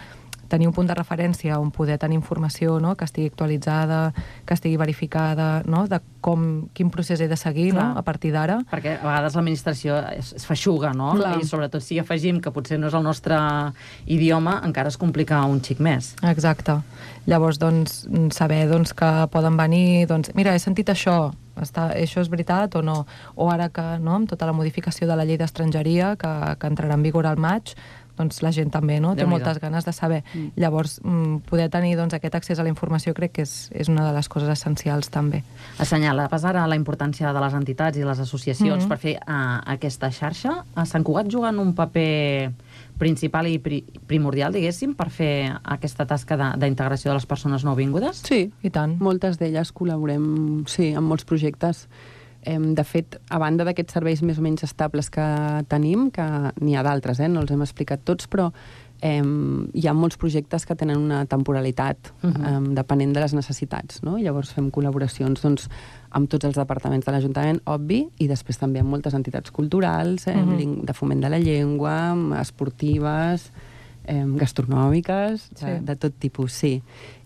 tenir un punt de referència on poder tenir informació, no, que estigui actualitzada, que estigui verificada, no, de quin procés he de seguir, no, a partir d'ara. Perquè a vegades l'administració es feixuga, no? I sobretot si afegim que potser no és el nostre idioma, encara es complica un xic més. Exacte. Llavors, doncs, saber doncs, que poden venir, doncs, mira, he sentit això és veritat o no? O ara que, no, amb tota la modificació de la llei d'estrangeria que entrarà en vigor al maig, doncs la gent també, no, té moltes ganes de saber. Llavors, poder tenir doncs, aquest accés a la informació crec que és una de les coses essencials també. Assenyalaves ara la importància de les entitats i les associacions per fer aquesta xarxa. A Sant Cugat juguen un paper principal i primordial, diguéssim, per fer aquesta tasca d'integració de les persones nouvingudes? Sí, i tant. Moltes d'elles col·laborem, sí, en molts projectes. De fet, a banda d'aquests serveis més o menys estables que tenim, que n'hi ha d'altres, no els hem explicat tots, però hi ha molts projectes que tenen una temporalitat depenent de les necessitats, no? Llavors fem col·laboracions doncs, amb tots els departaments de l'Ajuntament, obvi, i després també amb moltes entitats culturals, de foment de la llengua, esportives, gastronòmiques, de tot tipus, sí.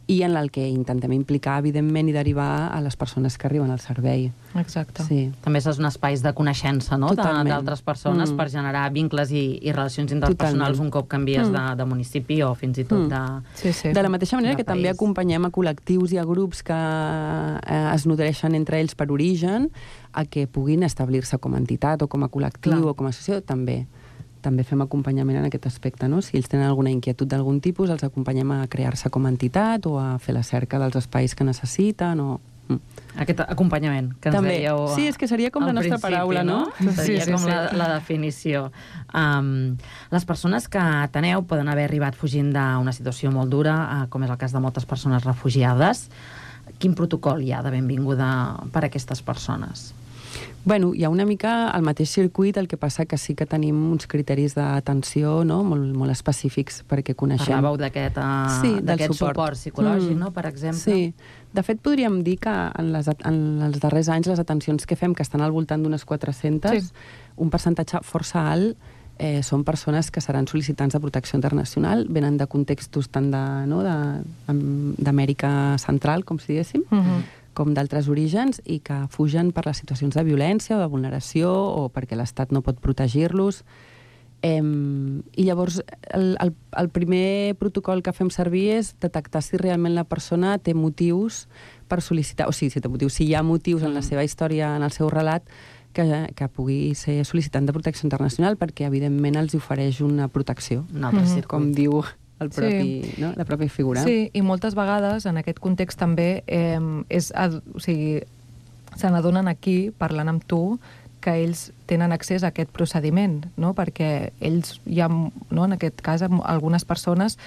i en el que intentem implicar, evidentment, i derivar a les persones que arriben al servei. Exacte. Sí. També són espais de coneixença, no?, d'altres persones per generar vincles i relacions interpersonals un cop canvies de municipi o fins i tot de la mateixa manera que també acompanyem a col·lectius i a grups que es nodreixen entre ells per origen a que puguin establir-se com a entitat o com a col·lectiu o com a associació, també fem acompanyament en aquest aspecte, no? Si ells tenen alguna inquietud d'algun tipus, els acompanyem a crear-se com a entitat o a fer la cerca dels espais que necessiten o... Aquest acompanyament que ens dèieu sí, és que seria com la nostra paraula, no? Seria com la definició. Les persones que ateneu poden haver arribat fugint d'una situació molt dura, com és el cas de moltes persones refugiades. Quin protocol hi ha de benvinguda per a aquestes persones? Bueno, hi ha una mica el mateix circuit, el que passa que sí que tenim uns criteris d'atenció, no?, molt específics perquè coneixem... Parlàveu d'aquest suport psicològic, no?, per exemple. Sí. De fet, podríem dir que en els darrers anys les atencions que fem, que estan al voltant d'unes 400, un percentatge força alt són persones que seran sol·licitants de protecció internacional, venen de contextos tant d'Amèrica Central, com si diguéssim, com d'altres orígens, i que fugen per les situacions de violència o de vulneració o perquè l'Estat no pot protegir-los. I llavors el primer protocol que fem servir és detectar si realment la persona té motius per sol·licitar, o sigui, si hi ha motius en la seva història, en el seu relat, que pugui ser sol·licitant de protecció internacional, perquè evidentment els ofereix una protecció, com diu la pròpia figura. Sí, i moltes vegades en aquest context també se n'adonen aquí, parlant amb tu, que ells tenen accés a aquest procediment, no? Perquè ells en aquest cas, algunes persones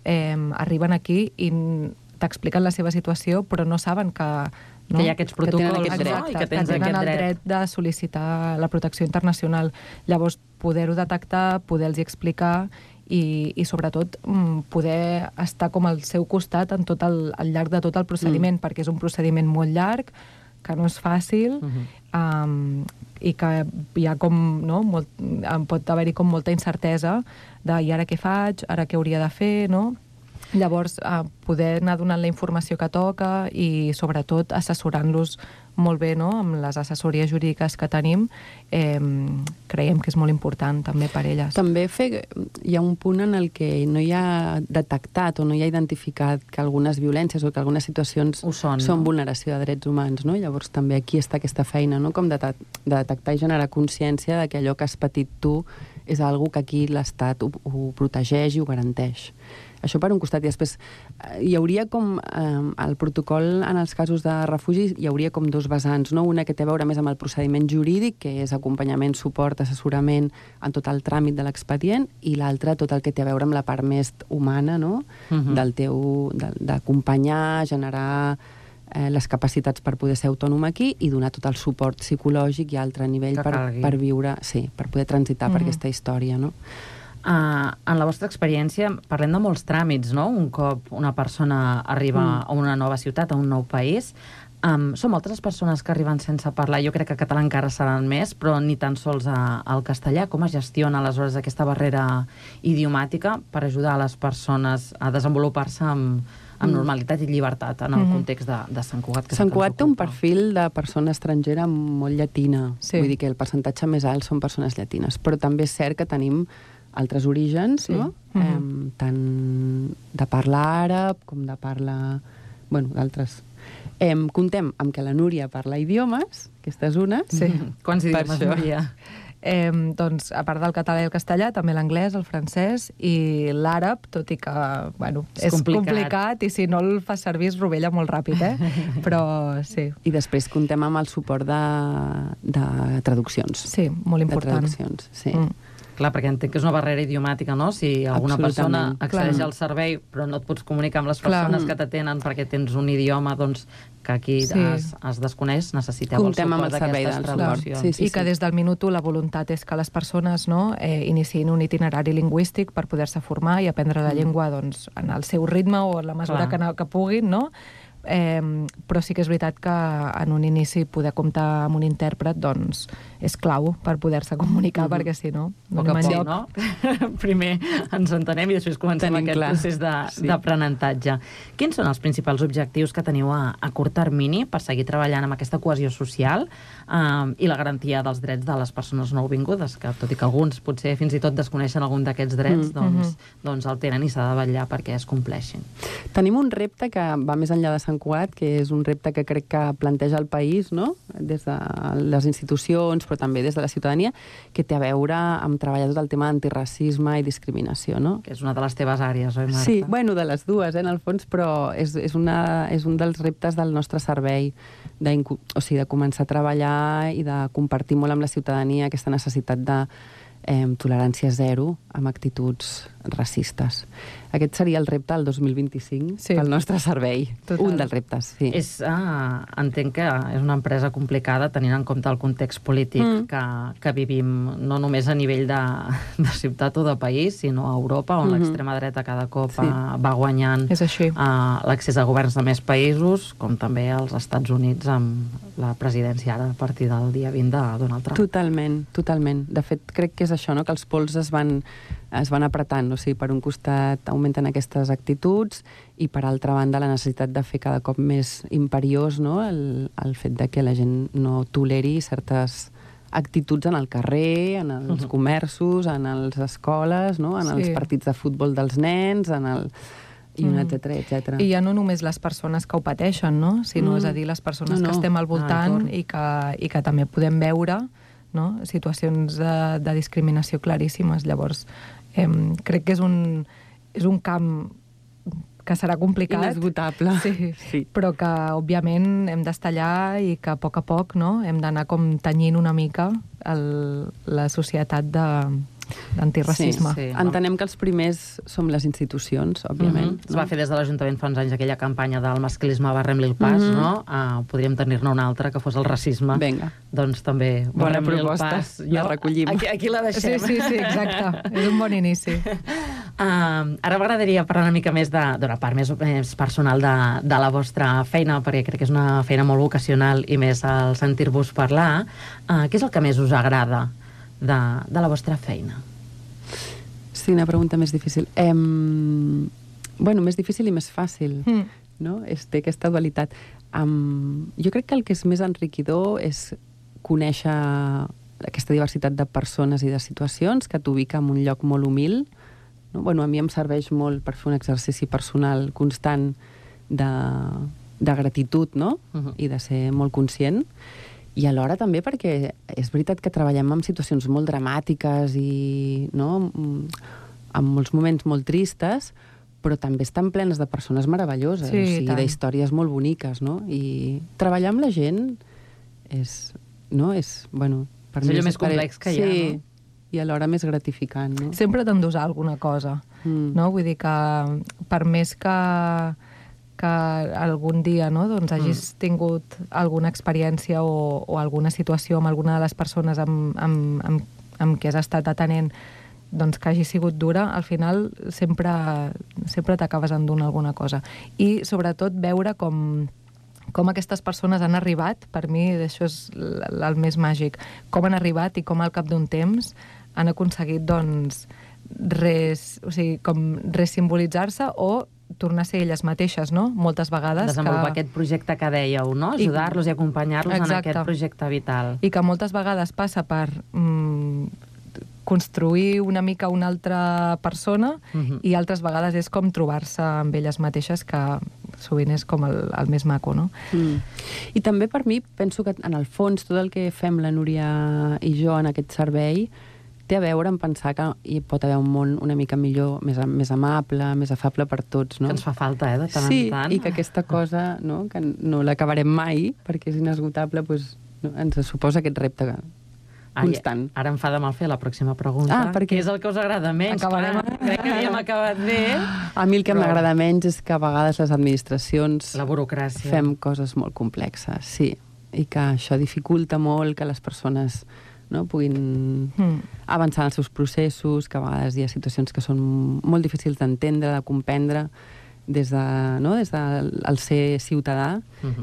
arriben aquí i t'expliquen la seva situació, però no saben que hi ha aquests protocols, que tenen el dret de sol·licitar la protecció internacional. Llavors, poder-ho detectar, poder-los explicar i sobretot poder estar com al seu costat al llarg de tot el procediment, perquè és un procediment molt llarg, que no és fàcil, i que hi ha pot haver-hi com molta incertesa de i ara què faig, ara què hauria de fer, no? Llavors, poder anar donant la informació que toca i, sobretot, assessorant-los molt bé, no?, amb les assessories jurídiques que tenim, creiem que és molt important també per elles. També hi ha un punt en el que no hi ha detectat o no hi ha identificat que algunes violències o que algunes situacions són vulneració de drets humans, no? Llavors també aquí està aquesta feina, no?, com de detectar i generar consciència de que allò que has patit tu és algo que aquí l'Estat ho protegeix i ho garanteix. Això per un costat, i després hi hauria com el protocol en els casos de refugi, hi hauria com dos vessants, no? Una que té a veure més amb el procediment jurídic, que és acompanyament, suport, assessorament en tot el tràmit de l'expedient, i l'altra tot el que té a veure amb la part més humana, no? D'acompanyar, generar les capacitats per poder ser autònom aquí i donar tot el suport psicològic i altre nivell per viure, sí, per poder transitar per aquesta història, no? En la vostra experiència, parlem de molts tràmits, no?, un cop una persona arriba a una nova ciutat, a un nou país. Són moltes les persones que arriben sense parlar, jo crec que català encara seran més, però ni tan sols al castellà. Com es gestiona aleshores aquesta barrera idiomàtica per ajudar a les persones a desenvolupar-se amb normalitat i llibertat en el context de Sant Cugat? Sant Cugat té un perfil de persona estrangera molt llatina, vull dir que el percentatge més alt són persones llatines, però també és cert que tenim altres orígens, no? Tant de parla àrab com de parla... Bueno, d'altres. Comptem amb que la Núria parla idiomes, aquesta és una. Sí. Quants idiomes, Núria? Doncs, a part del català i el castellà, també l'anglès, el francès i l'àrab, tot i que, bueno, és complicat i si no el fas servir es rovella molt ràpid, però sí. I després comptem amb el suport de traduccions. Sí, molt important. De traduccions, sí. Clar, perquè entenc que és una barrera idiomàtica, no? Si alguna persona accedeix al servei però no et pots comunicar amb les persones que t'atenen perquè tens un idioma, doncs, que aquí es desconeix, necessiteu el suport d'aquestes traduccions. I que des del minut 1 la voluntat és que les persones iniciïn un itinerari lingüístic per poder-se formar i aprendre la llengua en el seu ritme o en la mesura que puguin, no? però sí que és veritat que en un inici poder comptar amb un intèrpret doncs és clau per poder-se comunicar, perquè si no anem enlloc. No? Primer ens entenem i després comencem aquest procés d'aprenentatge. Quins són els principals objectius que teniu a curt termini per seguir treballant amb aquesta cohesió social i la garantia dels drets de les persones nouvingudes, que tot i que alguns potser fins i tot desconeixen algun d'aquests drets, doncs el tenen i s'ha de vetllar perquè es compleixin. Tenim un repte que va més enllà de Sant Cugat, que és un repte que crec que planteja el país, no? Des de les institucions, però també des de la ciutadania, que té a veure amb treballar tot el tema d'antiracisme i discriminació, no? Que és una de les teves àrees, oi, Marta? Sí, bueno, de les dues, en el fons, però és un dels reptes del nostre servei, de començar a treballar i de compartir molt amb la ciutadania aquesta necessitat de tolerància zero amb actituds racistes. Aquest seria el repte del 2025 pel nostre servei. Un dels reptes, sí. Entenc que és una empresa complicada tenint en compte el context polític que vivim, no només a nivell de ciutat o de país, sinó a Europa, on l'extrema dreta cada cop va guanyant l'accés a governs de més països, com també als Estats Units amb la presidència ara a partir del dia 20 de Donald Trump. Totalment, totalment. De fet, crec que és això, no? Que els pols es van apretant, o sigui, per un costat augmenten aquestes actituds i per altra banda la necessitat de fer cada cop més imperiós, no? el fet de que la gent no toleri certes actituds en el carrer, en els comerços, en les escoles, no? En els partits de futbol dels nens, i un etcètera. I ja no només les persones que ho pateixen, no? Sinó, és a dir, les persones que estem al voltant i que també podem veure, no? Situacions de discriminació claríssimes. Llavors, crec que és un camp que serà complicat. Inesgotable. Sí. Però que, òbviament, hem d'estar allà i que a poc, no? Hem d'anar com tenyint una mica la societat d'antiracisme. Sí. Entenem que els primers som les institucions, òbviament. Es va fer des de l'Ajuntament fa uns anys aquella campanya del masclisme barrem-li el pas, no? Podríem tenir-ne una altra que fos el racisme. Vinga. Doncs també bona proposta, la recollim. Aquí la deixem. Sí, exacte. És un bon inici. Ara m'agradaria parlar una mica més d'una part més personal de la vostra feina, perquè crec que és una feina molt vocacional i més al sentir-vos parlar. Què és el que més us agrada de la vostra feina? Sí, una pregunta més difícil. Més difícil i més fàcil, no? Té aquesta dualitat. Jo crec que el que és més enriquidor és conèixer aquesta diversitat de persones i de situacions que t'ubica en un lloc molt humil. No? A mi em serveix molt per fer un exercici personal constant de gratitud, no? I de ser molt conscient. I alhora també perquè és veritat que treballem en situacions molt dramàtiques i en molts moments molt tristes, però també estan plenes de persones meravelloses, d'històries molt boniques, no? I treballar amb la gent és allò més complex que hi ha, no? I alhora més gratificant, no? Sempre t'endosar alguna cosa, no? Vull dir que per més que algun dia hagis tingut alguna experiència o alguna situació amb alguna de les persones amb què has estat atenent que hagi sigut dura, al final sempre t'acabes endunt alguna cosa. I sobretot veure com aquestes persones han arribat, per mi això és el més màgic, com han arribat i com al cap d'un temps han aconseguit resimbolitzar-se o tornar a ser elles mateixes, no? Moltes vegades. Desenvolupar aquest projecte que dèieu, no? Ajudar-los i acompanyar-los en aquest projecte vital. I que moltes vegades passa per construir una mica una altra persona i altres vegades és com trobar-se amb elles mateixes, que sovint és com el més maco, no? I també per mi penso que en el fons tot el que fem la Núria i jo en aquest servei té a veure amb pensar que hi pot haver un món una mica millor, més amable, més afable per tots, no? Que ens fa falta, de tant en tant. Sí, i que aquesta cosa, no, que no l'acabarem mai, perquè és inesgotable, ens suposa aquest repte constant. Ara em fa de mal fer la pròxima pregunta. Què és el que us agrada menys? Crec que havíem acabat bé. A mi el que m'agrada menys és que a vegades les administracions... La burocràcia. Fem coses molt complexes, sí. I que això dificulta molt que les persones puguin avançar en els seus processos, que a vegades hi ha situacions que són molt difícils d'entendre, de comprendre, des del ser ciutadà,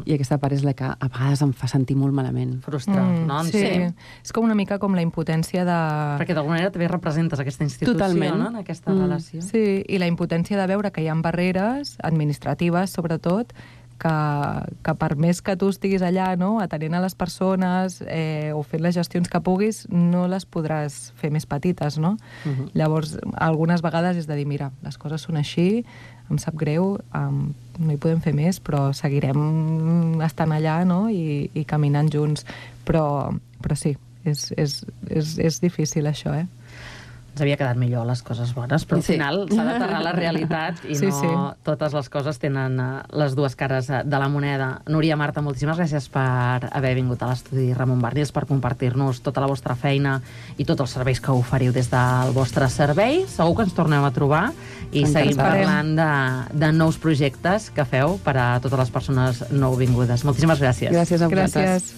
i aquesta part és la que a vegades em fa sentir molt malament. Frustrar, no? Sí, és com una mica com la impotència de... Perquè d'alguna manera també representes aquesta institució, no? En aquesta relació. Sí, i la impotència de veure que hi ha barreres administratives, sobretot, que per més que tu estiguis allà, no?, atenent a les persones o fent les gestions que puguis, no les podràs fer més petites, no? Llavors, algunes vegades és de dir, mira, les coses són així, em sap greu, no hi podem fer més, però seguirem estant allà, no?, i caminant junts. Però sí, és difícil això, Ens havia quedat millor les coses bones, però al final s'ha d'aterrar la realitat i no totes les coses tenen les dues cares de la moneda. Núria, Marta, moltíssimes gràcies per haver vingut a l'estudi Ramon Barnils, per compartir-nos tota la vostra feina i tots els serveis que oferiu des del vostre servei. Segur que ens tornem a trobar i seguim parlant de nous projectes que feu per a totes les persones nouvingudes. Moltíssimes gràcies. Gràcies a vosaltres.